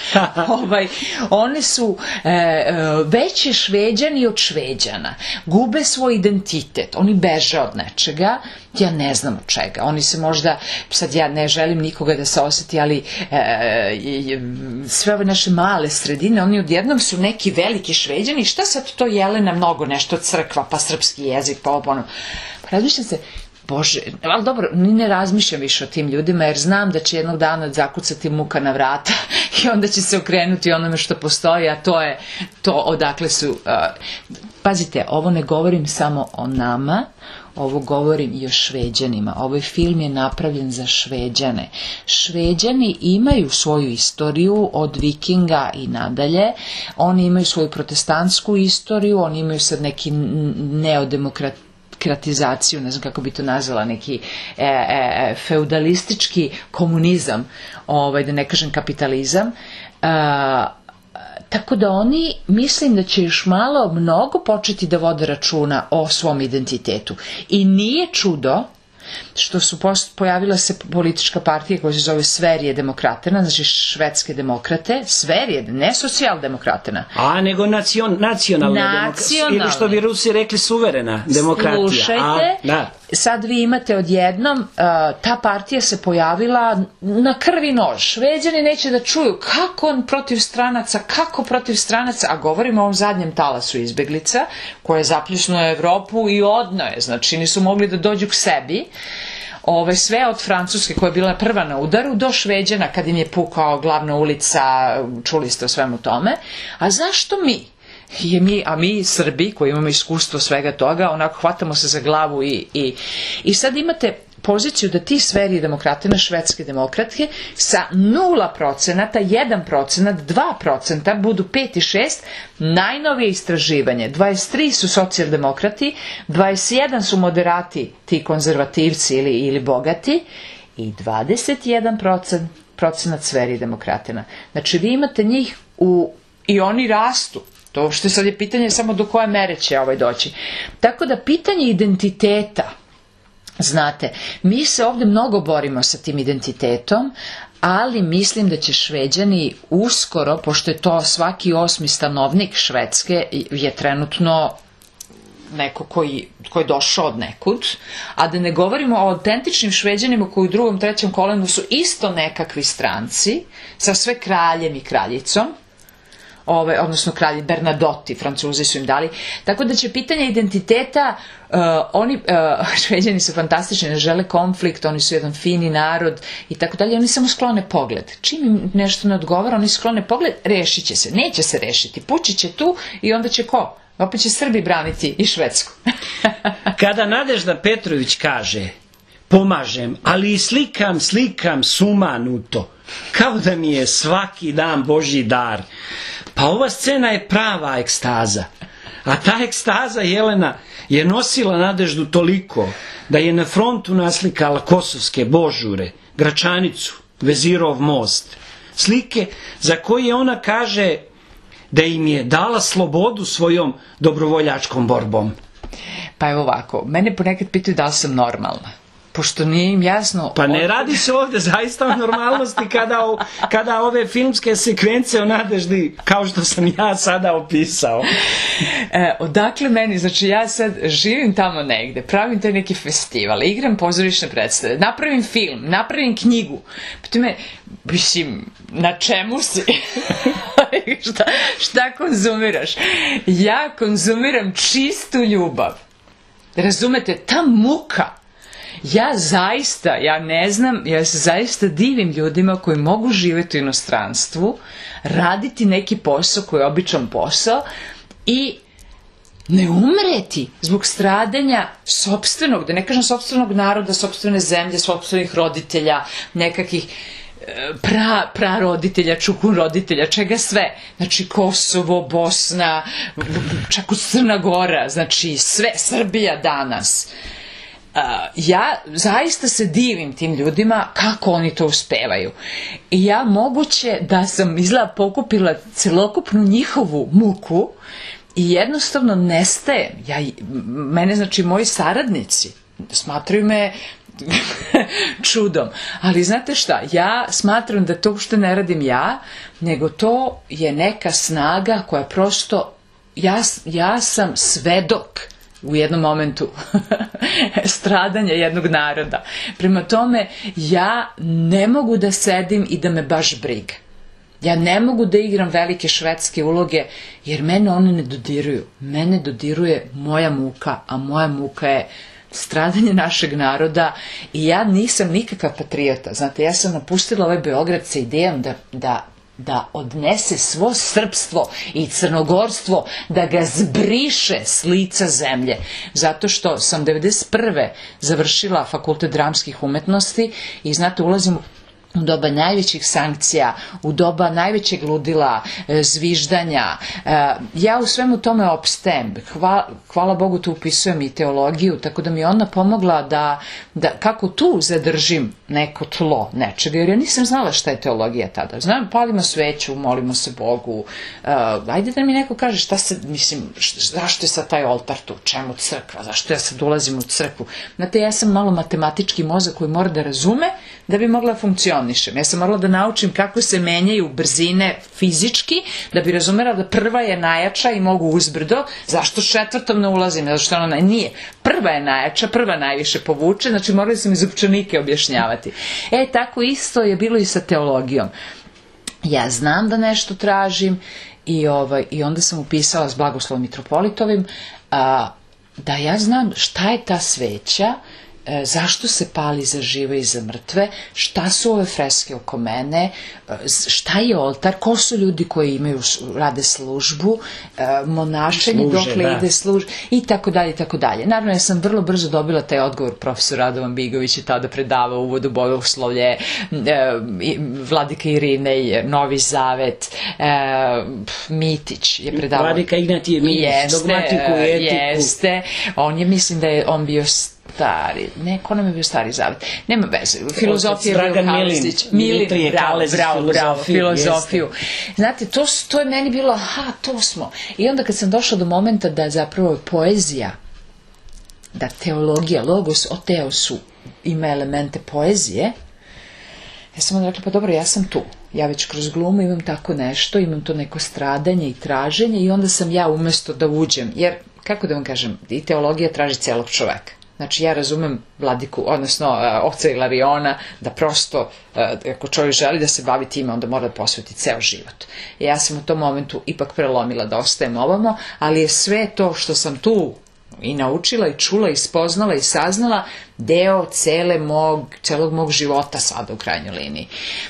ovaj, oni su e, e, veće Šveđani od Šveđana. Gube svoj identitet. Oni beže od nečega. Ja ne znam od čega. Oni se možda, sad ja ne želim nikoga da se osjeti, ali e, e, sve ove naše male sredine, oni odjednom su neki veliki Šveđani. Šta sad to Jelena mnogo nešto crkva, pa srpski jezik, pa ovo ono. Razmišljam se, Bože, ali dobro, ni ne razmišljam više o tim ljudima, jer znam da će jednog dana zakucati muka na vrata i onda će se okrenuti onome što postoji, a to je to odakle su... Uh, pazite, ovo ne govorim samo o nama, ovo govorim i o Šveđanima. Ovaj film je napravljen za Šveđane. Šveđani imaju svoju istoriju od Vikinga i nadalje. Oni imaju svoju protestantsku istoriju, oni imaju sad neki neodemokrat kratizaciju, ne znam kako bi to nazvala, neki e, e, feudalistički komunizam, ovaj, da ne kažem kapitalizam. E, tako da oni, mislim da će još malo mnogo početi da vode računa o svom identitetu. I nije čudo što su pojavila se politička partija koja se zove Sverige demokratena, znači švedske demokrate, Sverige, ne socijaldemokratena. A, nego nacion, nacionalna demokratija, ili što bi Rusi rekli suverena demokratija. Slušajte, A, da. Sad vi imate odjednom, uh, ta partija se pojavila na krvi nož. Šveđani neće da čuju kako on protiv stranaca, kako protiv stranaca, a govorimo o ovom zadnjem talasu izbeglica, koje je zapljusnuo Evropu i odno je, znači nisu mogli da dođu k sebi. Ove, sve od Francuske koja je bila prva na udaru do Šveđana kad im je pukao glavna ulica, čuli ste o svemu tome. A zašto mi? Je mi, a mi Srbi koji imamo iskustvo svega toga, onako hvatamo se za glavu i, i, i sad imate poziciju da ti Sverige demokrate, švedske demokratke sa nula procenata, jedan procenat, dva procenta budu pet i šest, najnovije istraživanje, dvadeset tri su socijaldemokrati, dvadeset jedan su moderati, ti konzervativci ili, ili bogati i dvadeset jedan procenat Sverige demokratina. Znači vi imate njih u, i oni rastu. To što sad je pitanje samo do koje mere će ovaj doći. Tako da pitanje identiteta, znate, mi se ovdje mnogo borimo sa tim identitetom, ali mislim da će Šveđani uskoro, pošto je to svaki osmi stanovnik Švedske je trenutno neko koji, koji je došao od nekud, a da ne govorimo o autentičnim Šveđanima koji u drugom, trećem kolenu su isto nekakvi stranci, sa sve kraljem i kraljicom, Ove, odnosno kralji Bernadotti, Francuzi su im dali, tako da će pitanje identiteta, uh, oni, uh, Šveđani su fantastični, ne žele konflikt, oni su jedan fini narod i tako dalje, oni samo sklone pogled. Čim im nešto ne odgovara, oni sklone pogled, rešit će se, neće se rešiti, pući će tu i onda će ko? Opet će Srbi braniti i Švedsku. Kada Nadežda Petrović kaže, pomažem, ali i slikam, slikam sumanuto, kao da mi je svaki dan Božji dar. Pa ova scena je prava ekstaza. A ta ekstaza, Jelena, je nosila Nadeždu toliko da je na frontu naslikala kosovske božure, Gračanicu, Vezirov most. Slike za koje ona kaže da im je dala slobodu svojom dobrovoljačkom borbom? Pa evo ovako, mene ponekad pitaju da li sam normalna. Pošto nije im jasno... Pa ne radi se ovde zaista o normalnosti kada, kada ove filmske sekvence o Nadeždi, kao što sam ja sada opisao. E, odakle meni, znači ja sad živim tamo negde, pravim taj neki festival, igram pozorišne predstave, napravim film, napravim knjigu. Pita me, mislim, na čemu si? šta, šta konzumiraš? Ja konzumiram čistu ljubav. Razumete, ta muka. Ja zaista, ja ne znam, ja se zaista divim ljudima koji mogu živjeti u inostranstvu, raditi neki posao koji je običan posao i ne umreti zbog stradanja sopstvenog, da ne kažem sopstvenog naroda, sopstvene zemlje, sopstvenih roditelja, nekakvih pra, praroditelja, čukun roditelja, čega sve. Znači Kosovo, Bosna, čak u Crna Gora, znači sve, Srbija danas. Uh, ja zaista se divim tim ljudima kako oni to uspevaju. I ja moguće da sam izgleda pokupila celokupnu njihovu muku i jednostavno nestajem. Ja, mene, znači, moji saradnici smatraju me čudom. Ali znate šta, ja smatram da to uopšte ne radim ja, nego to je neka snaga koja prosto, ja, ja sam svedok u jednom momentu stradanja jednog naroda. Prema tome, ja ne mogu da sedim i da me baš briga. Ja ne mogu da igram velike švedske uloge, jer mene one ne dodiruju. Mene dodiruje moja muka, a moja muka je stradanje našeg naroda i ja nisam nikakav patriota. Znate, ja sam napustila ovaj Beograd sa idejom da, da da odnese svo srpstvo i crnogorstvo, da ga zbriše s lica zemlje. Zato što sam devedeset prve završila Fakultet dramskih umetnosti i znate, ulazim u doba najvećih sankcija, u doba najvećeg ludila, zviždanja. Ja u svemu tome opstajem. Hvala, hvala Bogu, tu upisujem i teologiju, tako da mi je ona pomogla da, da kako tu zadržim neko tlo nečega, jer ja nisam znala šta je teologija tada. Znam, palimo sveću, molimo se Bogu. Uh, ajde da mi neko kaže šta se, mislim, zašto je sad taj oltar tu, čemu crkva, zašto ja sad ulazim u crkvu. Znate, ja sam malo matematički mozak koji mora da razume da bi mogla funkcionirati. Ja sam morala da naučim kako se menjaju brzine fizički, da bi razumela da prva je najjača i mogu uzbrdo. Zašto četvrtom ne ulazim? Zato što ona nije. Prva je najjača, prva najviše povuče, znači morali sam iz upčanike objašnjavati. E, tako isto je bilo i sa teologijom. Ja znam da nešto tražim i, ovaj, i onda sam upisala s Blagoslovom Mitropolitovim a, da ja znam šta je ta sveća, zašto se pali za žive i za mrtve, šta su ove freske oko mene, šta je oltar, ko su ljudi koji imaju, rade službu, monašenje, dokle ide služba i tako dalje i tako dalje. Naravno, ja sam vrlo brzo dobila taj odgovor, profesor Radovan Bigović je tada predavao uvodu bogoslovlje, vladika Irinej, Novi Zavet, Mitić je predavao. Vladika Ignatije Mitić, dogmatiku, etiku. Jeste, on je, mislim da je on bio stari, ne, ko nam je bio stari zavet, nema veze, filozofija je bio Kalezić, Milin, bravo, bravo, bravo, filozofiju. Znate, to, to je meni bilo, aha, to smo. I onda kad sam došla do momenta da zapravo poezija, da teologija, logos o teosu ima elemente poezije, ja sam onda rekla, pa dobro, ja sam tu. Ja već kroz glumu imam tako nešto, imam to neko stradanje i traženje i onda sam ja umesto da uđem, jer, kako da vam kažem, i teologija traži celog čoveka. Znači, ja razumem vladiku, odnosno uh, oca Ilariona, da prosto, uh, ako čovjek želi da se bavi time, onda mora da posveti ceo život. I ja sam u tom momentu ipak prelomila da ostajem ovamo, ali je sve to što sam tu i naučila i čula i spoznala i saznala deo cele mog, celog mog života sada u krajnjoj liniji.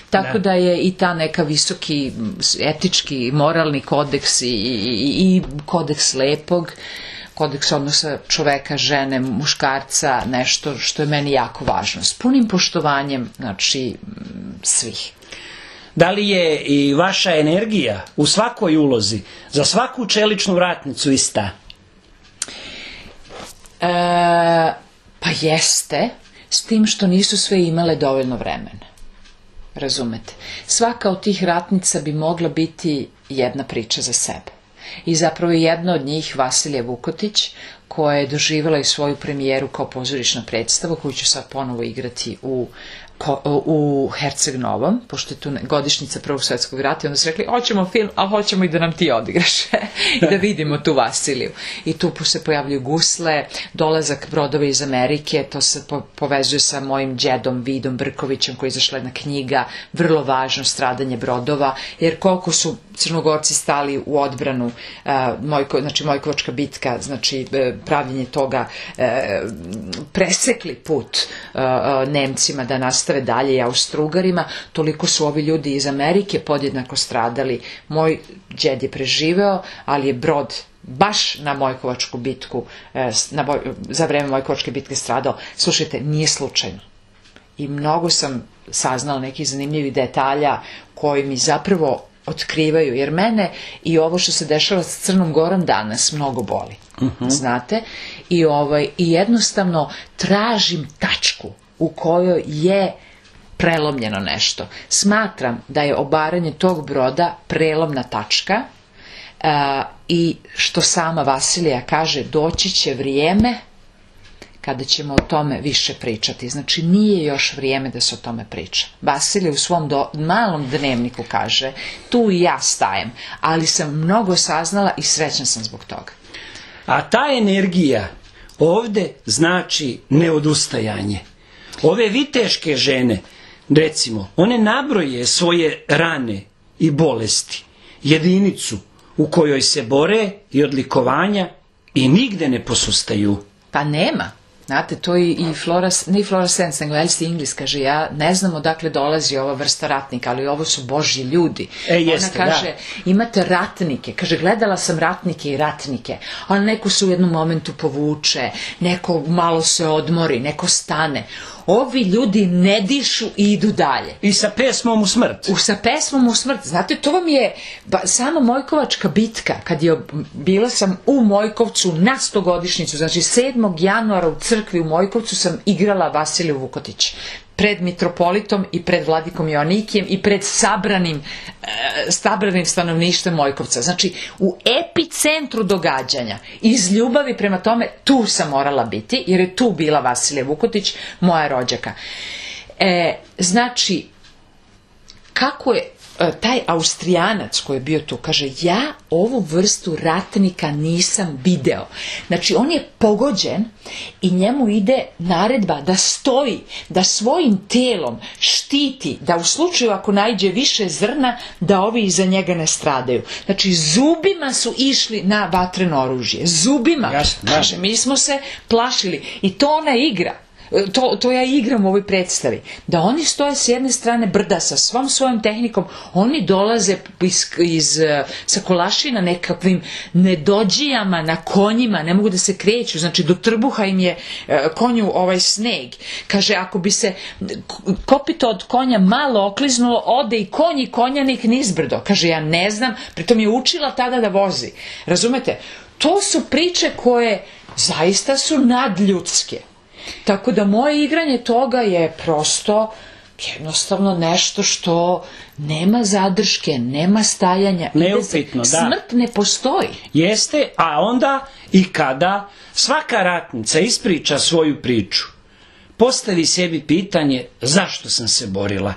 Tako da, da je i ta neka visoki etički, moralni kodeks i, i, i kodeks lepog, kodeks odnosa čoveka, žene, muškarca, nešto što je meni jako važno. S punim poštovanjem, znači, svih. Da li je i vaša energija u svakoj ulozi, za svaku čeličnu vratnicu ista? E, pa jeste, s tim što nisu sve imale dovoljno vremena. Razumete? Svaka od tih ratnica bi mogla biti jedna priča za sebe. I zapravo jedna od njih, Vasilija Vukotić, koja je doživjela i svoju premijeru kao pozorišna predstava, koju ću sad ponovo igrati u u Herceg Novom, pošto je tu godišnjica Prvog svjetskog rata, i onda su rekli, hoćemo film, ali hoćemo i da nam ti odigraš i da vidimo tu Vasiliju. I tu se pojavljuju gusle, dolazak brodova iz Amerike, to se po povezuje sa mojim džedom Vidom Brkovićem, koji je izašla jedna knjiga, vrlo važno, stradanje brodova, jer koliko su Crnogorci stali u odbranu, uh, Mojko, znači Mojkovačka bitka, znači pravljenje toga, uh, presekli put uh, Nemcima da nastave dalje i Austrougarima, toliko su ovi ljudi iz Amerike podjednako stradali. Moj džed je preživeo, ali je brod baš na Mojkovačku bitku, na, za vreme Mojkovačke bitke stradao. Slušajte, nije slučajno. I mnogo sam saznala nekih zanimljivih detalja koji mi zapravo otkrivaju, jer mene i ovo što se dešava s Crnom Gorom danas mnogo boli. Uh-huh. Znate? I, ovaj, I jednostavno tražim tačku u kojoj je prelomljeno nešto. Smatram da je obaranje tog broda prelomna tačka uh, i što sama Vasilija kaže, doći će vrijeme kada ćemo o tome više pričati. Znači, nije još vrijeme da se o tome priča. Vasilija u svom do, malom dnevniku kaže, tu i ja stajem, ali sam mnogo saznala i srećna sam zbog toga. A ta energija ovde znači neodustajanje. Ove viteške žene, recimo, one nabroje svoje rane i bolesti, jedinicu u kojoj se bore i odlikovanja i nigde ne posustaju. Pa nema. Znate, to i, i Flora, ne Flora Sens, nego Elsie Inglis kaže, ja ne znam odakle dolazi ova vrsta ratnika, ali ovo su božji ljudi. E, jeste, ona kaže, da. Imate ratnike, kaže, gledala sam ratnike i ratnike, ali neko se u jednom momentu povuče, neko malo se odmori, neko stane. Ovi ljudi ne dišu i idu dalje. I sa pesmom u smrt. U, sa pesmom u smrt. Znate, to vam je ba, sama Mojkovačka bitka, kad je bila sam u Mojkovcu na stogodišnjicu, znači sedmog januara u crkvi u Mojkovcu sam igrala Vasiliju Vukotić. Pred mitropolitom i pred vladikom Joanikijem i pred sabranim, e, sabranim stanovništvom Mojkovca. Znači, u epicentru događanja, iz ljubavi prema tome, tu sam morala biti, jer je tu bila Vasilija Vukotić, moja rođaka. E, znači, kako je taj Austrijanac koji je bio tu, kaže, ja ovu vrstu ratnika nisam video. Znači, on je pogođen i njemu ide naredba da stoji, da svojim telom štiti, da u slučaju ako naiđe više zrna, da ovi iza njega ne stradaju. Znači, zubima su išli na vatreno oružje. Zubima. Jasno, kaže, mi smo se plašili. I to ona igra. To, to ja igram u ovoj predstavi. Da oni stoje s jedne strane brda sa svom svojom tehnikom, oni dolaze iz, iz, sa Kolašina nekakvim nedođijama na konjima, ne mogu da se kreću, znači do trbuha im je konju ovaj sneg. Kaže, ako bi se kopito od konja malo okliznulo, ode i konj i konjanik nizbrdo. Kaže, ja ne znam, pritom je učila tada da vozi. Razumete? To su priče koje zaista su nadljudske. Tako da moje igranje toga je prosto jednostavno nešto što nema zadrške, nema stajanja. Neupitno, da. Smrt ne postoji. Jeste, a onda i kada svaka ratnica ispriča svoju priču, postavi sebi pitanje zašto sam se borila.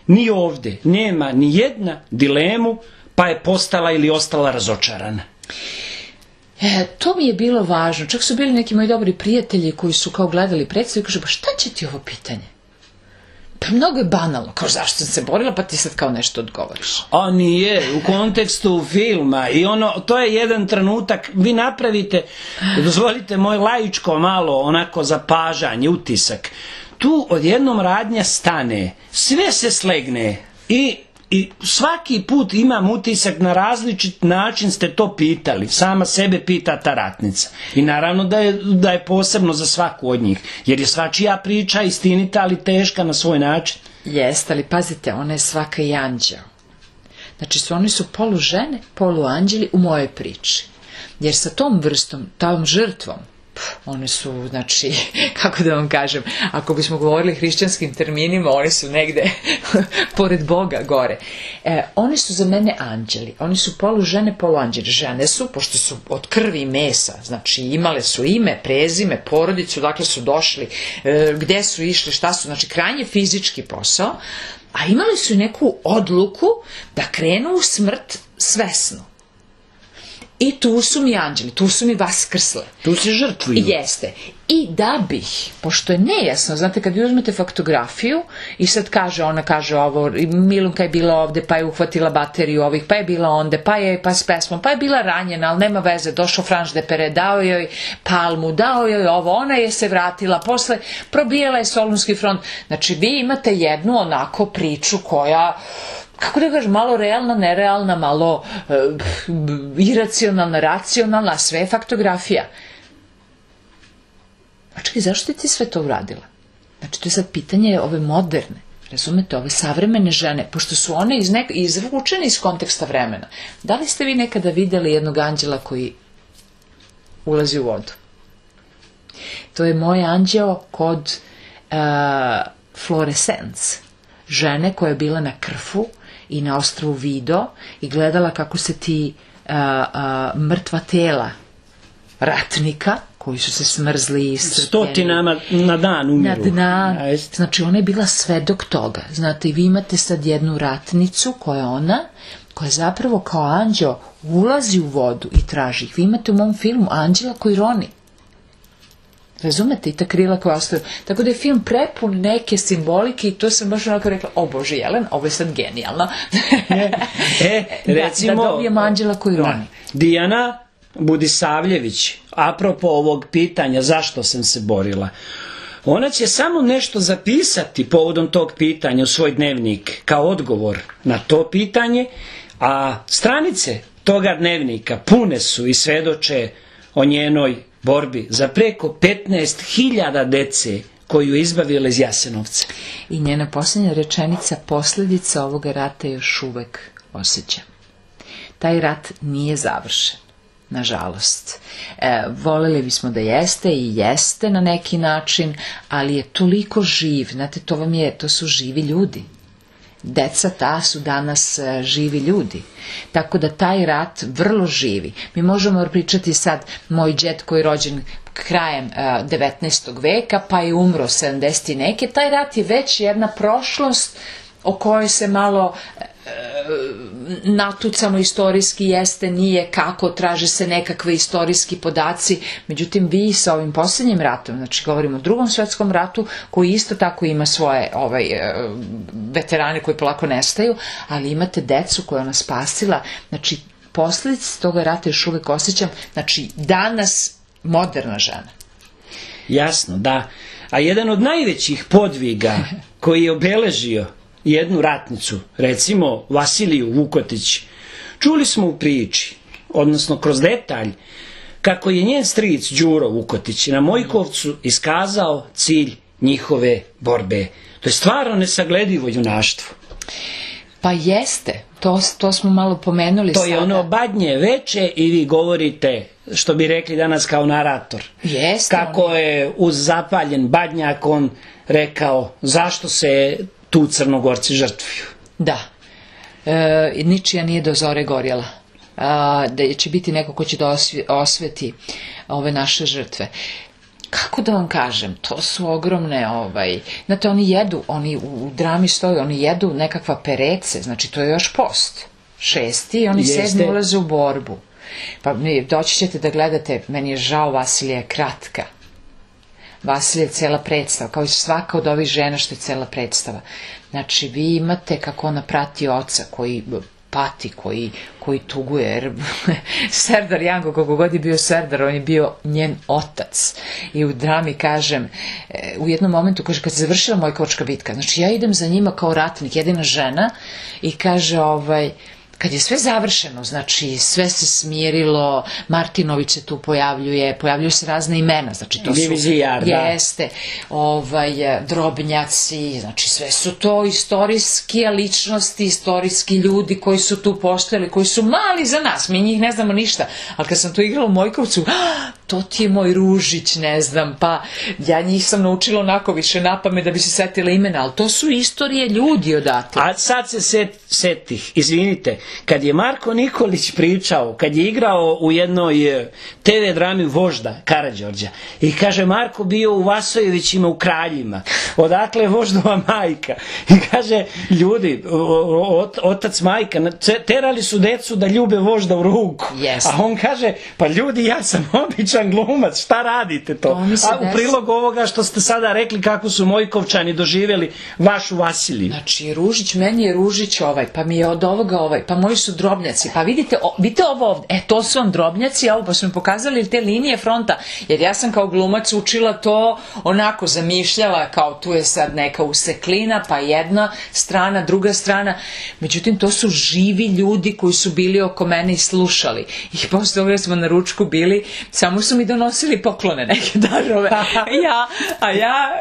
Ni ovde nema ni jedna dilemu, pa je postala ili ostala razočarana. E, to mi je bilo važno. Čak su bili neki moji dobri prijatelji koji su kao gledali predstavu i kažu, pa šta će ti ovo pitanje? Pa mnogo je banalno. Kao, zašto sam se borila, pa ti sad kao nešto odgovoriš. A nije, u kontekstu filma. I ono, to je jedan trenutak, vi napravite, dozvolite moj laičko malo onako zapažanje, utisak. Tu odjednom radnja stane, sve se slegne i I svaki put imam utisak na različit način ste to pitali. Sama sebe pita ta ratnica. I naravno da je, da je posebno za svaku od njih. Jer je svačija priča istinita, ali teška na svoj način. Jeste, ali pazite, ona je svaka i anđeo. Znači, su, oni su polu žene, polu anđeli u mojoj priči. Jer sa tom vrstom, tom žrtvom, pff, one su, znači, kako da vam kažem, ako bismo govorili hrišćanskim terminima, one su negde pored Boga gore. E, one su za mene anđeli, oni su polu žene, polu anđeli. Žene su, pošto su od krvi i mesa, znači imale su ime, prezime, porodicu, dakle su došli, e, gde su išli, šta su, znači krajnje fizički posao, a imali su neku odluku da krenu u smrt svesno. I tu su mi anđeli, tu su mi vaskrsle. Tu se žrtvuju. Jeste. I da bih, pošto je nejasno, znate, kad vi uzmete faktografiju i sad kaže, ona kaže ovo, Milunka je bila ovde, pa je uhvatila bateriju ovih, pa je bila onde, pa je pa s pesmom, pa je bila ranjena, ali nema veze, došao Franš de Pere, dao joj palmu, dao joj ovo, ona je se vratila, posle probijela je Solunski front. Znači, vi imate jednu onako priču koja, kako da kažem, malo realna, nerealna, malo e, iracionalna, racionalna, sve je faktografija. A čekaj, zašto ti sve to uradila? Znači, to je sad pitanje ove moderne, razumete, ove savremene žene, pošto su one iz nek- izvučene iz konteksta vremena. Da li ste vi nekada videli jednog anđela koji ulazi u vodu? To je moj anđeo kod uh, Florescence, žene koja je bila na Krfu i na ostrvu Vido i gledala kako se ti uh, uh, mrtva tela ratnika koji su se smrzli i iscrpljeni. Stotinama na dan umiru. Na dan. Znači, ona je bila svedok toga. Znate, i vi imate sad jednu ratnicu koja je ona, koja zapravo kao anđeo ulazi u vodu i traži ih. Vi imate u mom filmu anđela koji roni. Razumete? I ta krila koja ostaju. Tako da je film prepun neke simbolike i to sam baš onako rekla, o Bože Jelen, ovo je sad genijalno. e, recimo, da, da dobijemo anđela koji roni. Dijana Budisavljević, apropo ovog pitanja zašto sam se borila, ona će samo nešto zapisati povodom tog pitanja u svoj dnevnik kao odgovor na to pitanje, a stranice toga dnevnika pune su i svedoče o njenoj borbi za preko petnaest hiljada dece koju je izbavila iz Jasenovca. I njena posljednja rečenica, posljedica ovoga rata još uvek osjećam. Taj rat nije završen. Nažalost. E, voljeli bismo da jeste i jeste na neki način, ali je toliko živ, znate, to vam je, to su živi ljudi. Deca ta su danas e, živi ljudi. Tako da taj rat vrlo živi. Mi možemo pričati sad, moj džet koji je rođen krajem e, devetnaestog veka, pa je umro sedamdeset i neke, taj rat je već jedna prošlost o kojoj se malo natucano istorijski jeste, nije, kako, traže se nekakve istorijski podaci, međutim vi sa ovim posljednjim ratom, znači govorimo o drugom svetskom ratu, koji isto tako ima svoje ovaj, veterane koji polako nestaju, ali imate decu koja je ona spasila, znači posljedice toga rata još uvek osjećam, znači danas moderna žena. Jasno, da. A jedan od najvećih podviga koji je obeležio jednu ratnicu, recimo Vasiliju Vukotić, čuli smo u priči, odnosno kroz detalj, kako je njen stric Đuro Vukotić na Mojkovcu iskazao cilj njihove borbe. To je stvarno nesagledivo junaštvo. Pa jeste, to, to smo malo pomenuli to sada. To je ono badnje veče i vi govorite, što bi rekli danas kao narator. Jeste. Kako on je uz zapaljen badnjak on rekao zašto se tu Crnogorci žrtvuju. Da. E, ničija nije do zore gorjela. A, da će biti neko ko će da osveti ove naše žrtve. Kako da vam kažem, to su ogromne, ovaj, znate, oni jedu, oni u drami stoju, oni jedu nekakva perece, znači to je još post, šesti, i oni Jeste. sedmi ulaze u borbu. Pa doći ćete da gledate, meni je žao, Vasilija je kratka. Vasilija je cela predstava, kao i svaka od ovih žena što je cela predstava. Znači, vi imate kako ona prati oca koji pati, koji, koji tuguje, jer Serdar Janko, kako god je bio Serdar, on je bio njen otac. I u drami, kažem, u jednom momentu, kaže, kad se završila Mojkovačka bitka, znači ja idem za njima kao ratnik, jedina žena, i kaže, ovaj, kad je sve završeno, znači sve se smirilo, Martinović se tu pojavljuje, pojavljuju se razne imena, znači to su, Divizijar, da. jeste, ovaj, Drobnjaci, znači sve su to istorijske ličnosti, istorijski ljudi koji su tu postojali, koji su mali za nas, mi njih ne znamo ništa, ali kad sam to igrala u Mojkovcu, to ti je moj Ružić, ne znam, pa ja njih sam naučila onako više napame da bi se setila imena, ali to su istorije ljudi odatle. A sad se set, setih, izvinite, kad je Marko Nikolić pričao, kad je igrao u jednoj te ve drami Vožda Karađorđa i kaže Marko bio u Vasojevićima u Kraljima, odakle je Voždova majka i kaže ljudi, ot, otac majka terali su decu da ljube Vožda u ruku, yes. A on kaže pa ljudi ja sam običan glumac, šta radite to? to A u prilog ovoga što ste sada rekli kako su Mojkovčani doživjeli vašu Vasiliju. Znači Ružić, meni je Ružić ovaj, pa mi je od ovoga ovaj, pa moji su drobnjaci, pa vidite, o, vidite ovo ovde, e to su vam drobnjaci, ovo pa su mi pokazali te linije fronta, jer ja sam kao glumac učila to onako, zamišljala kao tu je sad neka useklina, pa jedna strana, druga strana, međutim to su živi ljudi koji su bili oko mene i slušali. I posle toga smo na ručku bili, samo su mi donosili poklone, neke darove. Ja, a ja,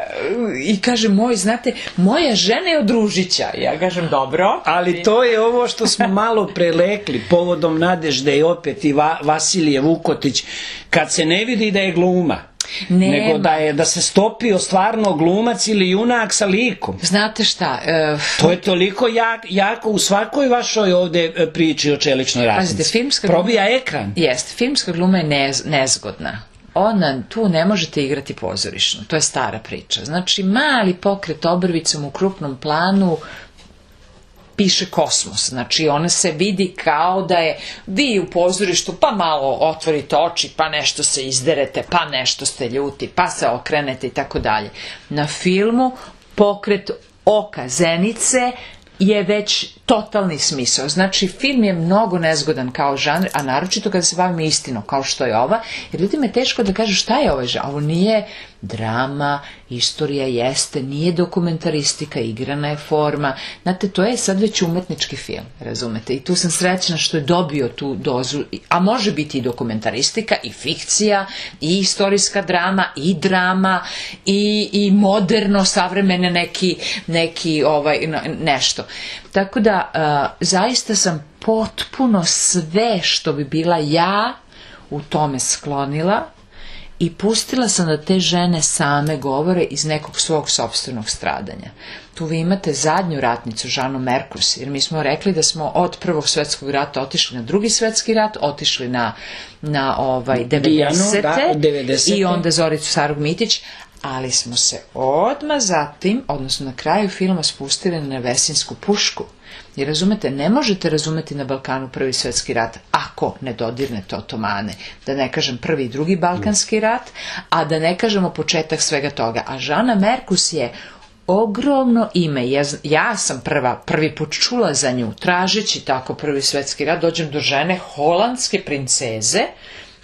i kaže moj, znate, moja žena je od Ružića. Ja kažem, dobro. Ali to je ovo što smo malo prelekli, povodom Nadežde i opet i Va, Vasilije Vukotić, kad se ne vidi da je gluma. Nema. Nego da je da se stopio stvarno glumac ili junak sa likom. Znate šta? Uh, to je toliko jak, jako u svakoj vašoj ovde priči o čeličnoj ratnici. Pazite, filmska probija gluma, ekran. Jeste, filmska gluma je nez, nezgodna. Ona, tu ne možete igrati pozorišno. To je stara priča. Znači, mali pokret obrvicom u krupnom planu piše kosmos, znači ona se vidi kao da je vi u pozorištu, pa malo otvorite oči, pa nešto se izderete, pa nešto ste ljuti, pa se okrenete i tako dalje. Na filmu pokret oka zenice je već totalni smisao. Znači, film je mnogo nezgodan kao žanr, a naročito kada se bavimo istinom, kao što je ova, jer ljudima je teško da kažu šta je ovaj žanr. Ovo nije drama, istorija jeste, nije dokumentaristika, igrana je forma. Znate, to je sad već umetnički film, razumete? I tu sam srećna što je dobio tu dozu, a može biti i dokumentaristika, i fikcija, i istorijska drama, i drama, i, i moderno, savremene neki, neki ovaj, nešto. Tako da, uh, zaista sam potpuno sve što bi bila ja u tome sklonila i pustila sam da te žene same govore iz nekog svog sopstvenog stradanja. Tu vi imate zadnju ratnicu, Žanu Merkus, jer mi smo rekli da smo od Prvog svetskog rata otišli na Drugi svetski rat, otišli na, na ovaj, devedesete. Da, devedesete i onda Zoricu Sarug Mitić, ali smo se odmah zatim, odnosno na kraju filma, spustili na Vesinsku pušku. Jer razumete, ne možete razumeti na Balkanu Prvi svetski rat ako ne dodirnete Otomane. Da ne kažem Prvi i Drugi Balkanski rat, a da ne kažemo početak svega toga. A Žana Merkus je ogromno ime. Ja, ja sam prva, prvi put čula za nju, tražeći tako Prvi svetski rat, dođem do žene holandske princeze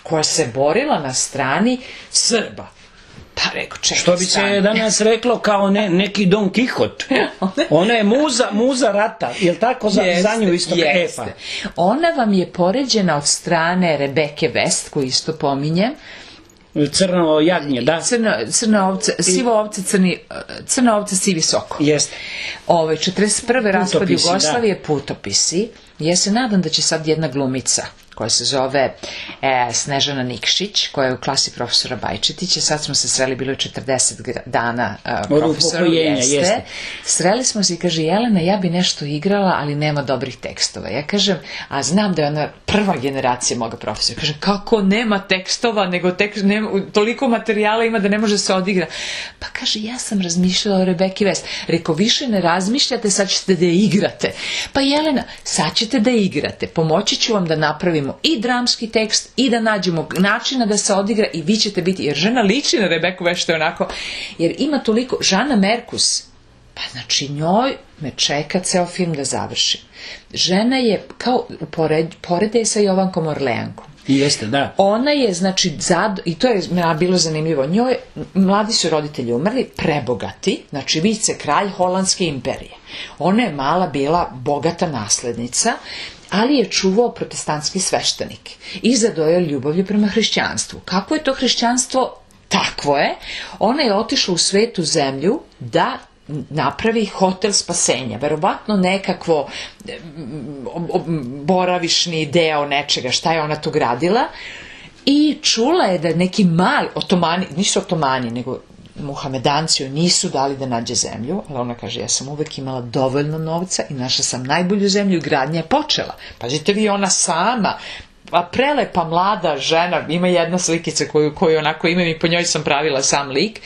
koja se borila na strani Srba. Pa rekao, čekaj, što bi se danas reklo kao ne, neki Don Kihot. Ona je muza, muza rata, je li tako za, jeste, za nju isto? Jeste. E, pa. Ona vam je poređena od strane Rebeke West, koju isto pominjem. Crno jagnje, da. Crno, crno ovce, sivo ovce, crni, crno ovce, sivi soko. Jeste. Ove, četrdeset prve raspad Jugoslavije, da. Putopisi. Ja se nadam da će sad jedna glumica koja se zove e, Snežana Nikšić, koja je u klasi profesora Bajčetića. Sad smo se sreli, bilo je četrdeset dana uh, profesoru, jeste. jeste. Sreli smo se i kaže, Jelena, ja bi nešto igrala, ali nema dobrih tekstova. Ja kažem, a znam da je ona prva generacija moga profesora. Kažem, kako nema tekstova, nego tekst, nema, toliko materijala ima da ne može se odigra. Pa kaže, ja sam razmišljala o Rebeki West. Rekao, više ne razmišljate, sad ćete da je igrate. Pa Jelena, sad ćete da igrate. Pomoći ću vam da napravimo i dramski tekst i da nađemo načina da se odigra i vi ćete biti, jer žena liči na Rebeku West, što je onako, jer ima toliko, Žana Merkus, pa znači njoj me čeka ceo film da završim. Žena je kao, pored, porede sa Jovankom Orleankom. Jeste, da. Ona je, znači, zad, i to je bilo zanimljivo, njoj, mladi su roditelji umrli, prebogati, znači vice kralj Holandske imperije. Ona je mala bila bogata naslednica, ali je čuvao protestantski sveštenik i zadojao ljubavlju prema hrišćanstvu. Kako je to hrišćanstvo? Takvo je. Ona je otišla u svetu zemlju da napravi hotel spasenja, verovatno nekakvo boravišni deo nečega, šta je ona tu gradila, i čula je da neki mali otomani, nisu otomani, nego Muhamedanci joj nisu dali da nađe zemlju, ali ona kaže, ja sam uvek imala dovoljno novca i našla sam najbolju zemlju i gradnja je počela. Pazite vi, ona sama, pa prelepa mlada žena, ima jedna slikica koju, koju onako imam i po njoj sam pravila sam lik,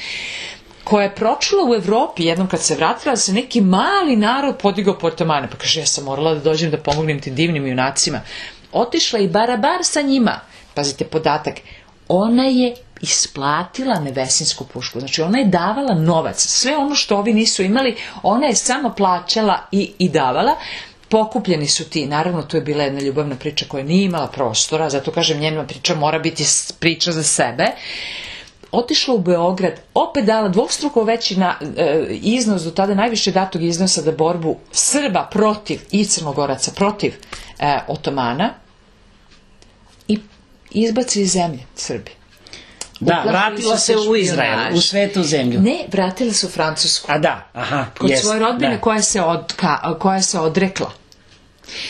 koja je pročula u Evropi jednom kad se vratila, da se neki mali narod podigao po otomane. Pa kaže, ja sam morala da dođem da pomognem tim divnim junacima. Otišla i barabar sa njima. Pazite podatak, ona je isplatila nebesinsku pušku. Znači ona je davala novac. Sve ono što ovi nisu imali, ona je samo plaćala i, i davala. Pokupljeni su ti, naravno to je bila jedna ljubavna priča koja nije imala prostora, zato kažem njena priča mora biti priča za sebe. Otišla u Beograd, opet dala dvostruko veći na, e, iznos, do tada najviše datog iznosa da borbu Srba protiv i Crnogoraca protiv e, Otomana i izbaci iz zemlje Srbi. Da, Uplašili vratila su se u špijunaži. Izrael, u svetu zemlju. Ne, vratila se u Francusku. A da, aha, Kod jest, svoje rodbine da. koja se, od, ka, koja se odrekla.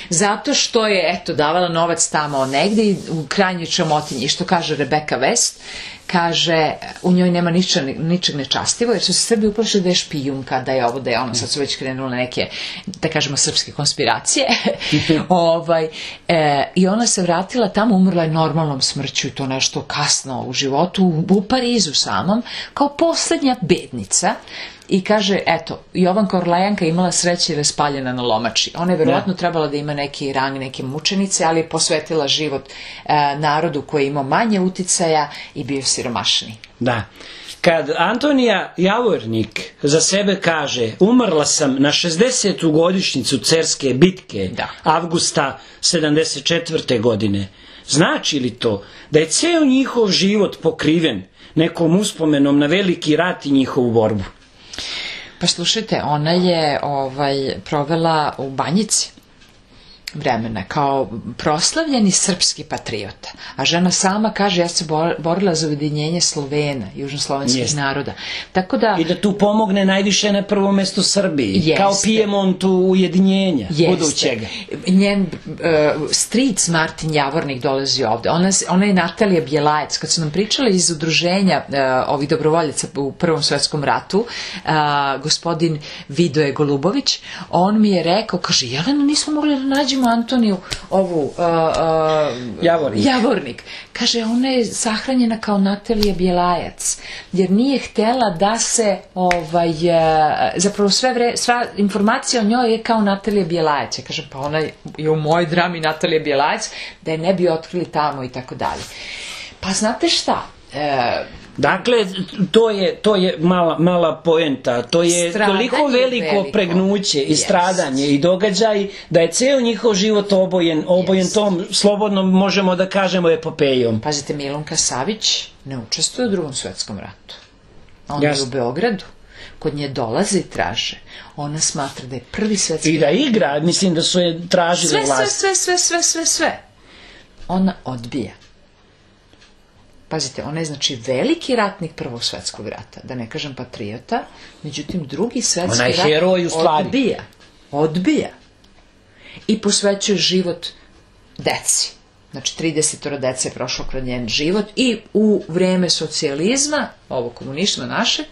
Zato što je, eto, davala novac tamo negdje i u krajnjoj čamotinji. I što kaže Rebeka West, kaže, u njoj nema ničeg, ničeg nečastivo, jer su se Srbi uplašili da je špijunka, da je ovo, da je ono, sad su već krenule neke, da kažemo, srpske konspiracije. ovaj, e, I ona se vratila tamo, umrla je normalnom smrću i to nešto kasno u životu, u, u Parizu samom, kao posljednja bednica. I kaže, eto, Jovanka Orlejanka imala sreće jer je spaljena na lomači. Ona je verovatno trebala da ima neki rang, neke mučenice, ali je posvetila život e, narodu koji je imao manje uticaja i bio siromašniji. Da. Kad Antonija Javornik za sebe kaže, umrla sam na šezdesetu godišnjicu Cerske bitke, Da. avgusta sedamdeset četvrte godine, znači li to da je ceo njihov život pokriven nekom uspomenom na veliki rat i njihovu borbu? Pa slušajte, ona je ovaj, provela u Banjici vremena kao proslavljeni srpski patriota. A žena sama kaže, ja se borila za ujedinjenje Slovena, južnoslovenskih Jest. naroda. Tako da... I da tu pomogne najviše na prvom mestu Srbiji, Jeste. kao Pijemontu ujedinjenja budućega. Njen uh, stric Martin Javornik dolazi ovde. Ona, ona je Natalija Bjelajac. Kad su nam pričali iz udruženja uh, ovih dobrovoljaca u Prvom svetskom ratu, uh, gospodin Vidoje Golubović, on mi je rekao, kaže, Jelena, nismo mogli da nađemo Antoniju ovu uh, uh, Javornik. Javornik. Kaže, ona je sahranjena kao Natalija Bjelajac, jer nije htjela da se ovaj, uh, zapravo sve vre, sva informacija o njoj je kao Natalija Bjelajac. Ja kažem, pa ona je u mojoj drami Natalija Bjelajac, da je ne bi otkrili tamo i tako dalje. Pa znate šta? E, Dakle, to je, to je mala, mala poenta, to je Stradanje toliko veliko, veliko. pregnuće i Yes. stradanje i događaj da je ceo njihov život obojen, obojen Yes. tom, slobodno možemo da kažemo, epopejom. Pazite, Milunka Savić ne učestvuje u Drugom svetskom ratu. Ona je Jasno. u Beogradu. Kod nje dolaze i traže. Ona smatra da je prvi svetski I da igra, mislim da su je tražile sve, sve, vlast. sve, sve, sve, sve, sve. Ona odbija. Pazite, ona je znači veliki ratnik Prvog svetskog rata, da ne kažem patriota, međutim drugi svetski Ona je rat heroj u stvari. odbija. Odbija. I posvećuje život deci. Znači trideset dece je prošlo kroz njen život i u vreme socijalizma, ovo komunizma našeg,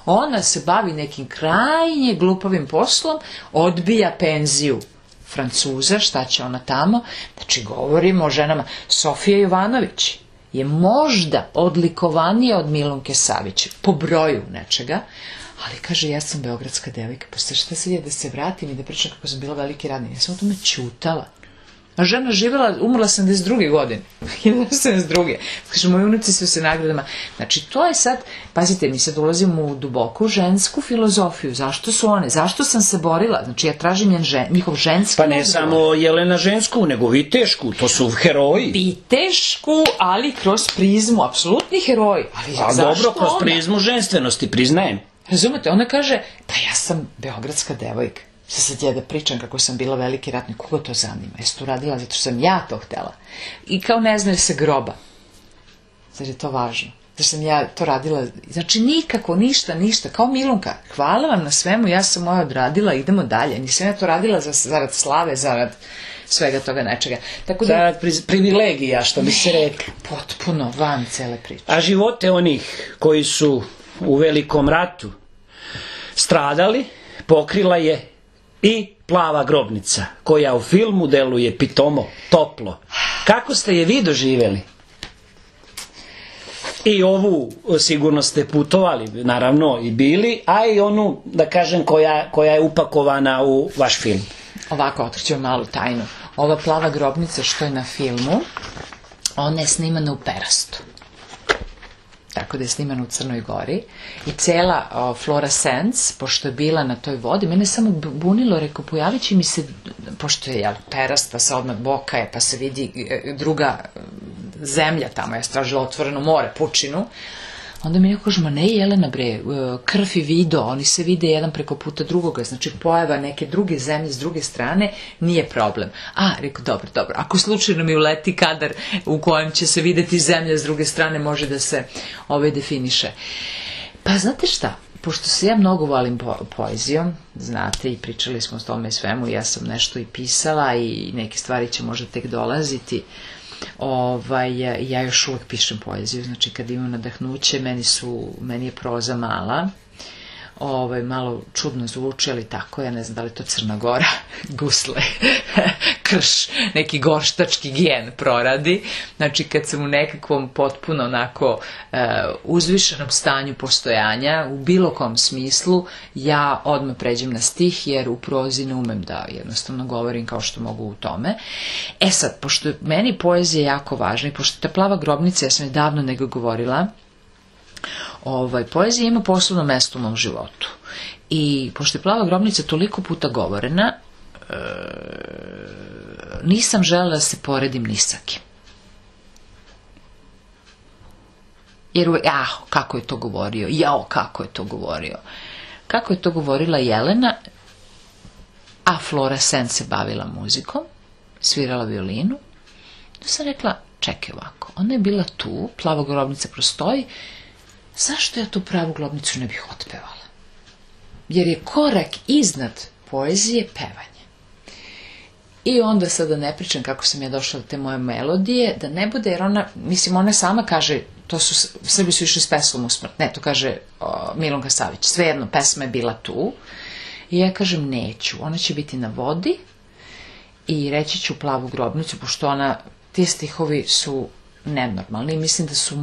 ona se bavi nekim krajnje glupavim poslom, odbija penziju Francuza, šta će ona tamo? Znači govorimo o ženama. Sofija Jovanović je možda odlikovanija od Milunke Savić po broju nečega, ali kaže, ja sam beogradska devojka, pa šta sad je da se vratim i da pričam kako sam bila veliki radnik. Ja sam o tome ćutala. A žena živjela, umrla sedamdeset druge godine. hiljadu devetsto sedamdeset druge. Kaže, moji unuci su se nagradama. Znači, to je sad, pazite, mi sad ulazimo u duboku žensku filozofiju. Zašto su one? Zašto sam se borila? Znači, ja tražim njen žen, njihov ženski Pa ne odgovor. samo Jelena žensku, nego Vitešku, to su heroji. Vitešku, ali kroz prizmu, apsolutni heroji. Ali A zašto dobro, kroz ona? prizmu ženstvenosti, priznajem. Razumete, ona kaže, pa ja sam beogradska devojka. Sad sad ja da pričam kako sam bila veliki ratnik, koga to zanima? Jesi to radila zato što sam ja to htela? I kao ne zna se groba. Zar je to važno? da sam ja to radila, znači nikako, ništa, ništa, kao Milunka, hvala vam na svemu, ja sam moja odradila, idemo dalje, nisam ja to radila za, zarad slave, zarad svega toga nečega. Tako da, Zarad pri- privilegija, što bi se rekli. potpuno van cele priče. A živote onih koji su u Velikom ratu stradali pokrila je i Plava grobnica, koja u filmu deluje pitomo, toplo. Kako ste je vi doživjeli? I ovu sigurno ste putovali, naravno i bili, a i onu, da kažem, koja, koja je upakovana u vaš film. Ovako, otkriću vam malu tajnu. Ova Plava grobnica što je na filmu, ona je snimana u Perastu. Tako da je snimana u Crnoj Gori. I cela o, Flora Sands, pošto je bila na toj vodi, mene samo bunilo, rekao, pojavit će mi se, pošto je jel, Perast, pa se odmah boka je, pa se vidi e, druga e, zemlja tamo, je stražila otvoreno more, pučinu. Onda mi neko kaže, ma ne Jelena bre, krv i video, oni se vide jedan preko puta drugoga, znači pojava neke druge zemlje s druge strane, nije problem. A, rekao, dobro, dobro, ako slučajno mi uleti kadar u kojem će se videti zemlja s druge strane, može da se ovaj definiše. Pa znate šta, pošto se ja mnogo volim po poezijom, znate, i pričali smo o tome svemu, ja sam nešto i pisala i neke stvari će možda tek dolaziti. Ovaj, ja još uvek pišem poeziju, znači kad imam nadahnuće, meni, su, meni je proza mala, ovaj, malo čudno zvuči, ali tako, ja ne znam da li to Crna Gora, gusle, krš, neki gorštački gen proradi, znači kad sam u nekakvom potpuno onako uh, uzvišenom stanju postojanja, u bilo kom smislu, ja odmah pređem na stih, jer u prozi ne umem da jednostavno govorim kao što mogu u tome. E sad, pošto meni poezija jako važna i pošto ta Plava grobnica, ja sam je davno nego govorila, Ovaj, poezija ima posebno mesto u mom životu. I pošto je Plava grobnica toliko puta govorena, e, nisam želela da se poredim ni sa kim. Jer, ah, kako je to govorio, jao, kako je to govorio. Kako je to govorila Jelena, a Flora Sands se bavila muzikom, svirala violinu, da sam rekla, čekaj ovako, ona je bila tu, Plava grobnica prostoji, zašto ja tu Pravu grobnicu ne bih otpevala? Jer je korak iznad poezije pevanje. I onda sad da ne pričam kako sam ja došla do te moje melodije, da ne bude, jer ona, mislim, ona sama kaže, to su, Srbi su išli s peslom u smrt, ne, to kaže o, Milunka Savić, svejedno, pesma je bila tu, i ja kažem, neću, ona će biti na vodi, i reći ću Plavu grobnicu, pošto ona, ti stihovi su nenormalni. Mislim da su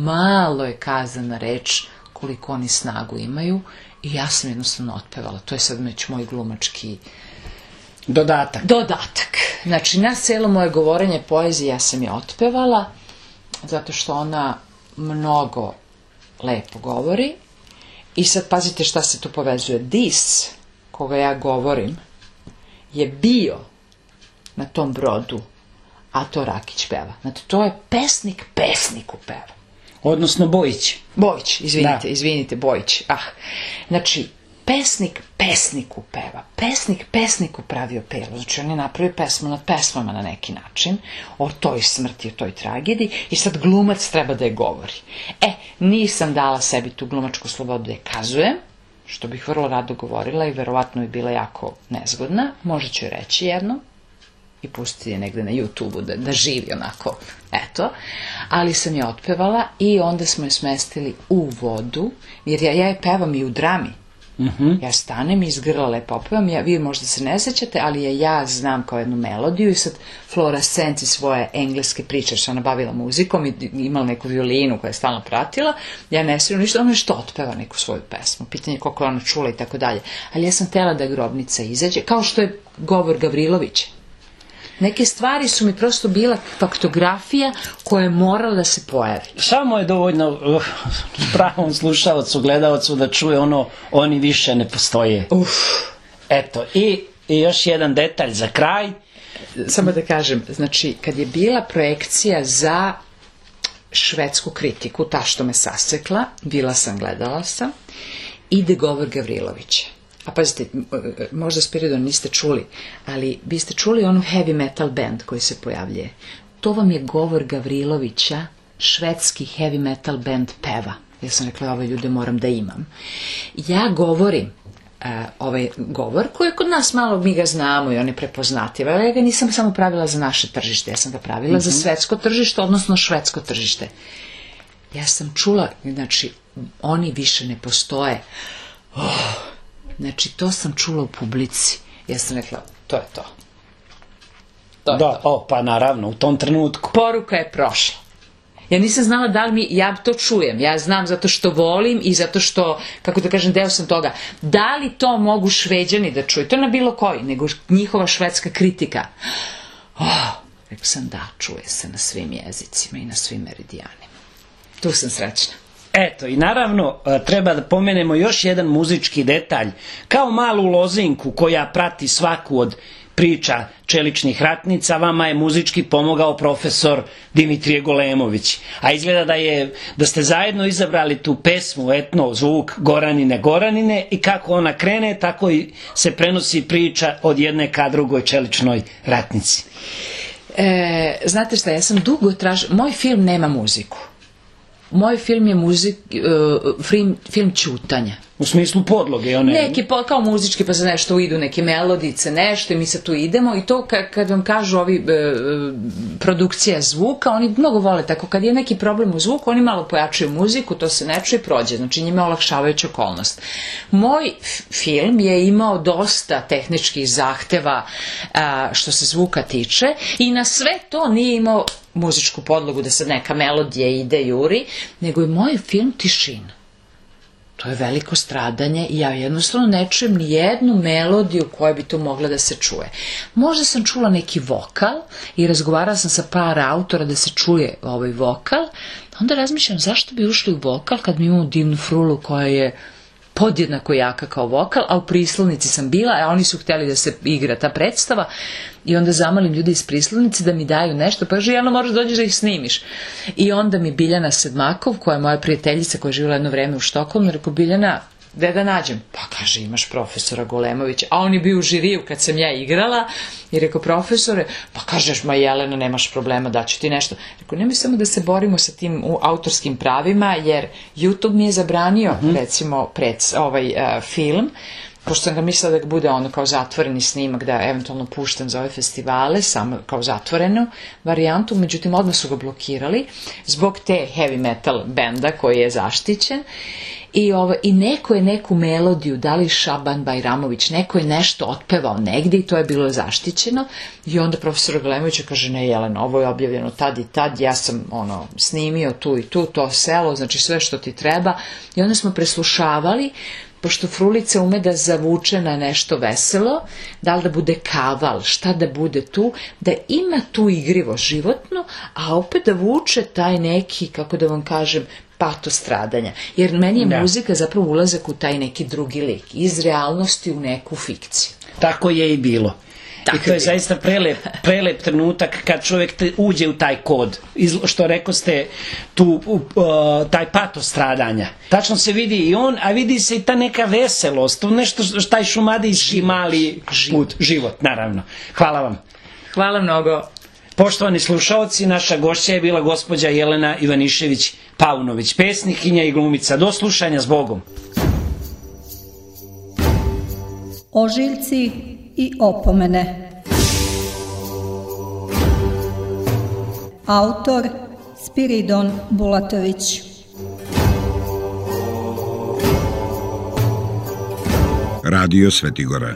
malo je kazana reč koliko oni snagu imaju i ja sam jednostavno otpevala. To je sad već moj glumački dodatak. Dodatak. Znači, na celo moje govorenje poezije ja sam je otpevala, zato što ona mnogo lepo govori. I sad pazite šta se tu povezuje. Dis, koga ja govorim, je bio na tom brodu, a to Rakić peva. Znači, to je pesnik pesniku peva. Odnosno Bojić. Bojić, izvinite, Da. izvinite, Bojić. Ah. Znači, pesnik pesniku peva. Pesnik pesniku pravio pelo. Znači, on je napravio pesmu nad pesmama na neki način, o toj smrti, o toj tragediji, i sad glumac treba da je govori. E, nisam dala sebi tu glumačku slobodu da je kazujem, što bih vrlo rado govorila i verovatno bi bila jako nezgodna. Možda ću je reći jedno i pustiti je negde na YouTube-u da, da živi onako, eto. Ali sam je otpevala i onda smo je smestili u vodu, jer ja, ja je pevam i u drami. Uh-huh. Ja stanem i iz grla lepo opevam, ja, vi možda se ne sećate, ali je ja znam kao jednu melodiju i sad Flora Sands i svoje engleske priče, što ona bavila muzikom i imala neku violinu koja je stalno pratila, ja ne sviram ništa, ona nešto otpeva neku svoju pesmu, pitanje koliko je ona čula i tako dalje. Ali ja sam htjela da grobnica izađe, kao što je govor Gavrilovića. Neke stvari su mi prosto bila faktografija koja je morala da se pojavi. Samo je dovoljno uh, pravom slušalcu, gledalcu da čuje ono, oni više ne postoje. Uf. Eto, i, i još jedan detalj za kraj. Samo da kažem, znači, kad je bila projekcija za švedsku kritiku, ta što me sasekla, bila sam, gledala sam, ide govor Gavrilovića. A pazite, možda Spiridon niste čuli, ali biste čuli onu heavy metal band koji se pojavljuje. To vam je govor Gavrilovića švedski heavy metal band peva. Ja sam rekla, ove ljude moram da imam. Ja govorim uh, ovaj govor koji je kod nas malo, mi ga znamo i on je prepoznativ, ali ja ga nisam samo pravila za naše tržište, ja sam ga pravila mm-hmm. za svetsko tržište, odnosno švedsko tržište. Ja sam čula, znači, oni više ne postoje. Oh, znači, to sam čula u publici. Ja sam rekla, to je to. To je da, to. o, pa naravno, u tom trenutku. Poruka je prošla. Ja nisam znala da li mi, ja to čujem, ja znam zato što volim i zato što, kako da kažem, deo sam toga. Da li to mogu Šveđani da čuju? To na bilo koji, nego njihova švedska kritika. Oh, rekao sam da, čuje se na svim jezicima i na svim meridijanima. Tu sam srećna. Eto, i naravno treba da pomenemo još jedan muzički detalj, kao malu lozinku koja prati svaku od priča čeličnih ratnica, vama je muzički pomogao profesor Dimitrije Golemović. A izgleda da je da ste zajedno izabrali tu pesmu, etno, zvuk Goranine, Goranine, i kako ona krene, tako i se prenosi priča od jedne ka drugoj čeličnoj ratnici. E, znate šta, ja sam dugo tražila, moj film nema muziku. Moj film je muzik, uh, film, film ćutanja. U smislu podloge, one... Neki, kao muzički, pa se nešto idu, neke melodice, nešto, i mi se tu idemo, i to kad, kad vam kažu ovi e, produkcija zvuka, oni mnogo vole tako, kad je neki problem u zvuku, oni malo pojačaju muziku, to se ne čuje, prođe, znači njima olakšavajuća okolnost. Moj film je imao dosta tehničkih zahteva a, što se zvuka tiče, i na sve to nije imao muzičku podlogu da sad neka melodija ide, juri, nego je moj film tišina. To je veliko stradanje i ja jednostavno ne čujem ni jednu melodiju koja bi tu mogla da se čuje. Možda sam čula neki vokal i razgovarala sam sa par autora da se čuje ovaj vokal, onda razmišljam zašto bi ušli u vokal kad mi imamo divnu frulu koja je podjednako jaka kao vokal, a u Prislovnici sam bila, a oni su htjeli da se igra ta predstava, i onda zamolim ljudi iz Prislovnice da mi daju nešto, pa kaže, Jelena, moraš dođeš da ih snimiš. I onda mi Biljana Sedmakov, koja je moja prijateljica koja je živjela jedno vreme u Štokholmu, rekao, Biljana, gde da nađem? Pa kaže, imaš profesora Golemovića, a on je bio u žiriju kad sam ja igrala, i rekao, profesore, pa kažeš, ma Jelena, nemaš problema, daću ti nešto. Rekao, nemoj samo da se borimo sa tim autorskim pravima, jer YouTube mi je zabranio, mm-hmm. recimo, pred ovaj uh, film, pošto sam ga mislila da ga bude ono kao zatvoreni snimak, da eventualno puštam za ove festivale, samo kao zatvorenu varijantu, međutim odmah su ga blokirali zbog te heavy metal benda koji je zaštićen. I, ovo, I neko je neku melodiju, da li Šaban Bajramović, neko je nešto otpevao negdje i to je bilo zaštićeno, i onda profesor Golemović kaže, ne Jelena, ovo je objavljeno tad i tad, ja sam ono snimio tu i tu, to selo, znači sve što ti treba, i onda smo preslušavali, pošto frulica ume da zavuče na nešto veselo, da li da bude kaval, šta da bude tu, da ima tu igrivo životno, a opet da vuče taj neki, kako da vam kažem, pato stradanja. Jer meni je da. muzika zapravo ulazak u taj neki drugi lik, iz realnosti u neku fikciju. Tako je i bilo. Tako I to je, je zaista prelep, prelep trenutak kad čovjek te uđe u taj kod. Iz, što rekao ste, tu, uh, taj pato stradanja. Tačno se vidi i on, a vidi se i ta neka veselost, to nešto, taj šumadijski mali put, život, naravno. Hvala vam. Hvala mnogo. Poštovani slušaoci, naša gošća je bila gospođa Jelena Ivanišević Paunović, pesnikinja i glumica. Do slušanja, s Bogom. Ožiljci i opomene. Autor Spiridon Bulatović. Radio Svetigora.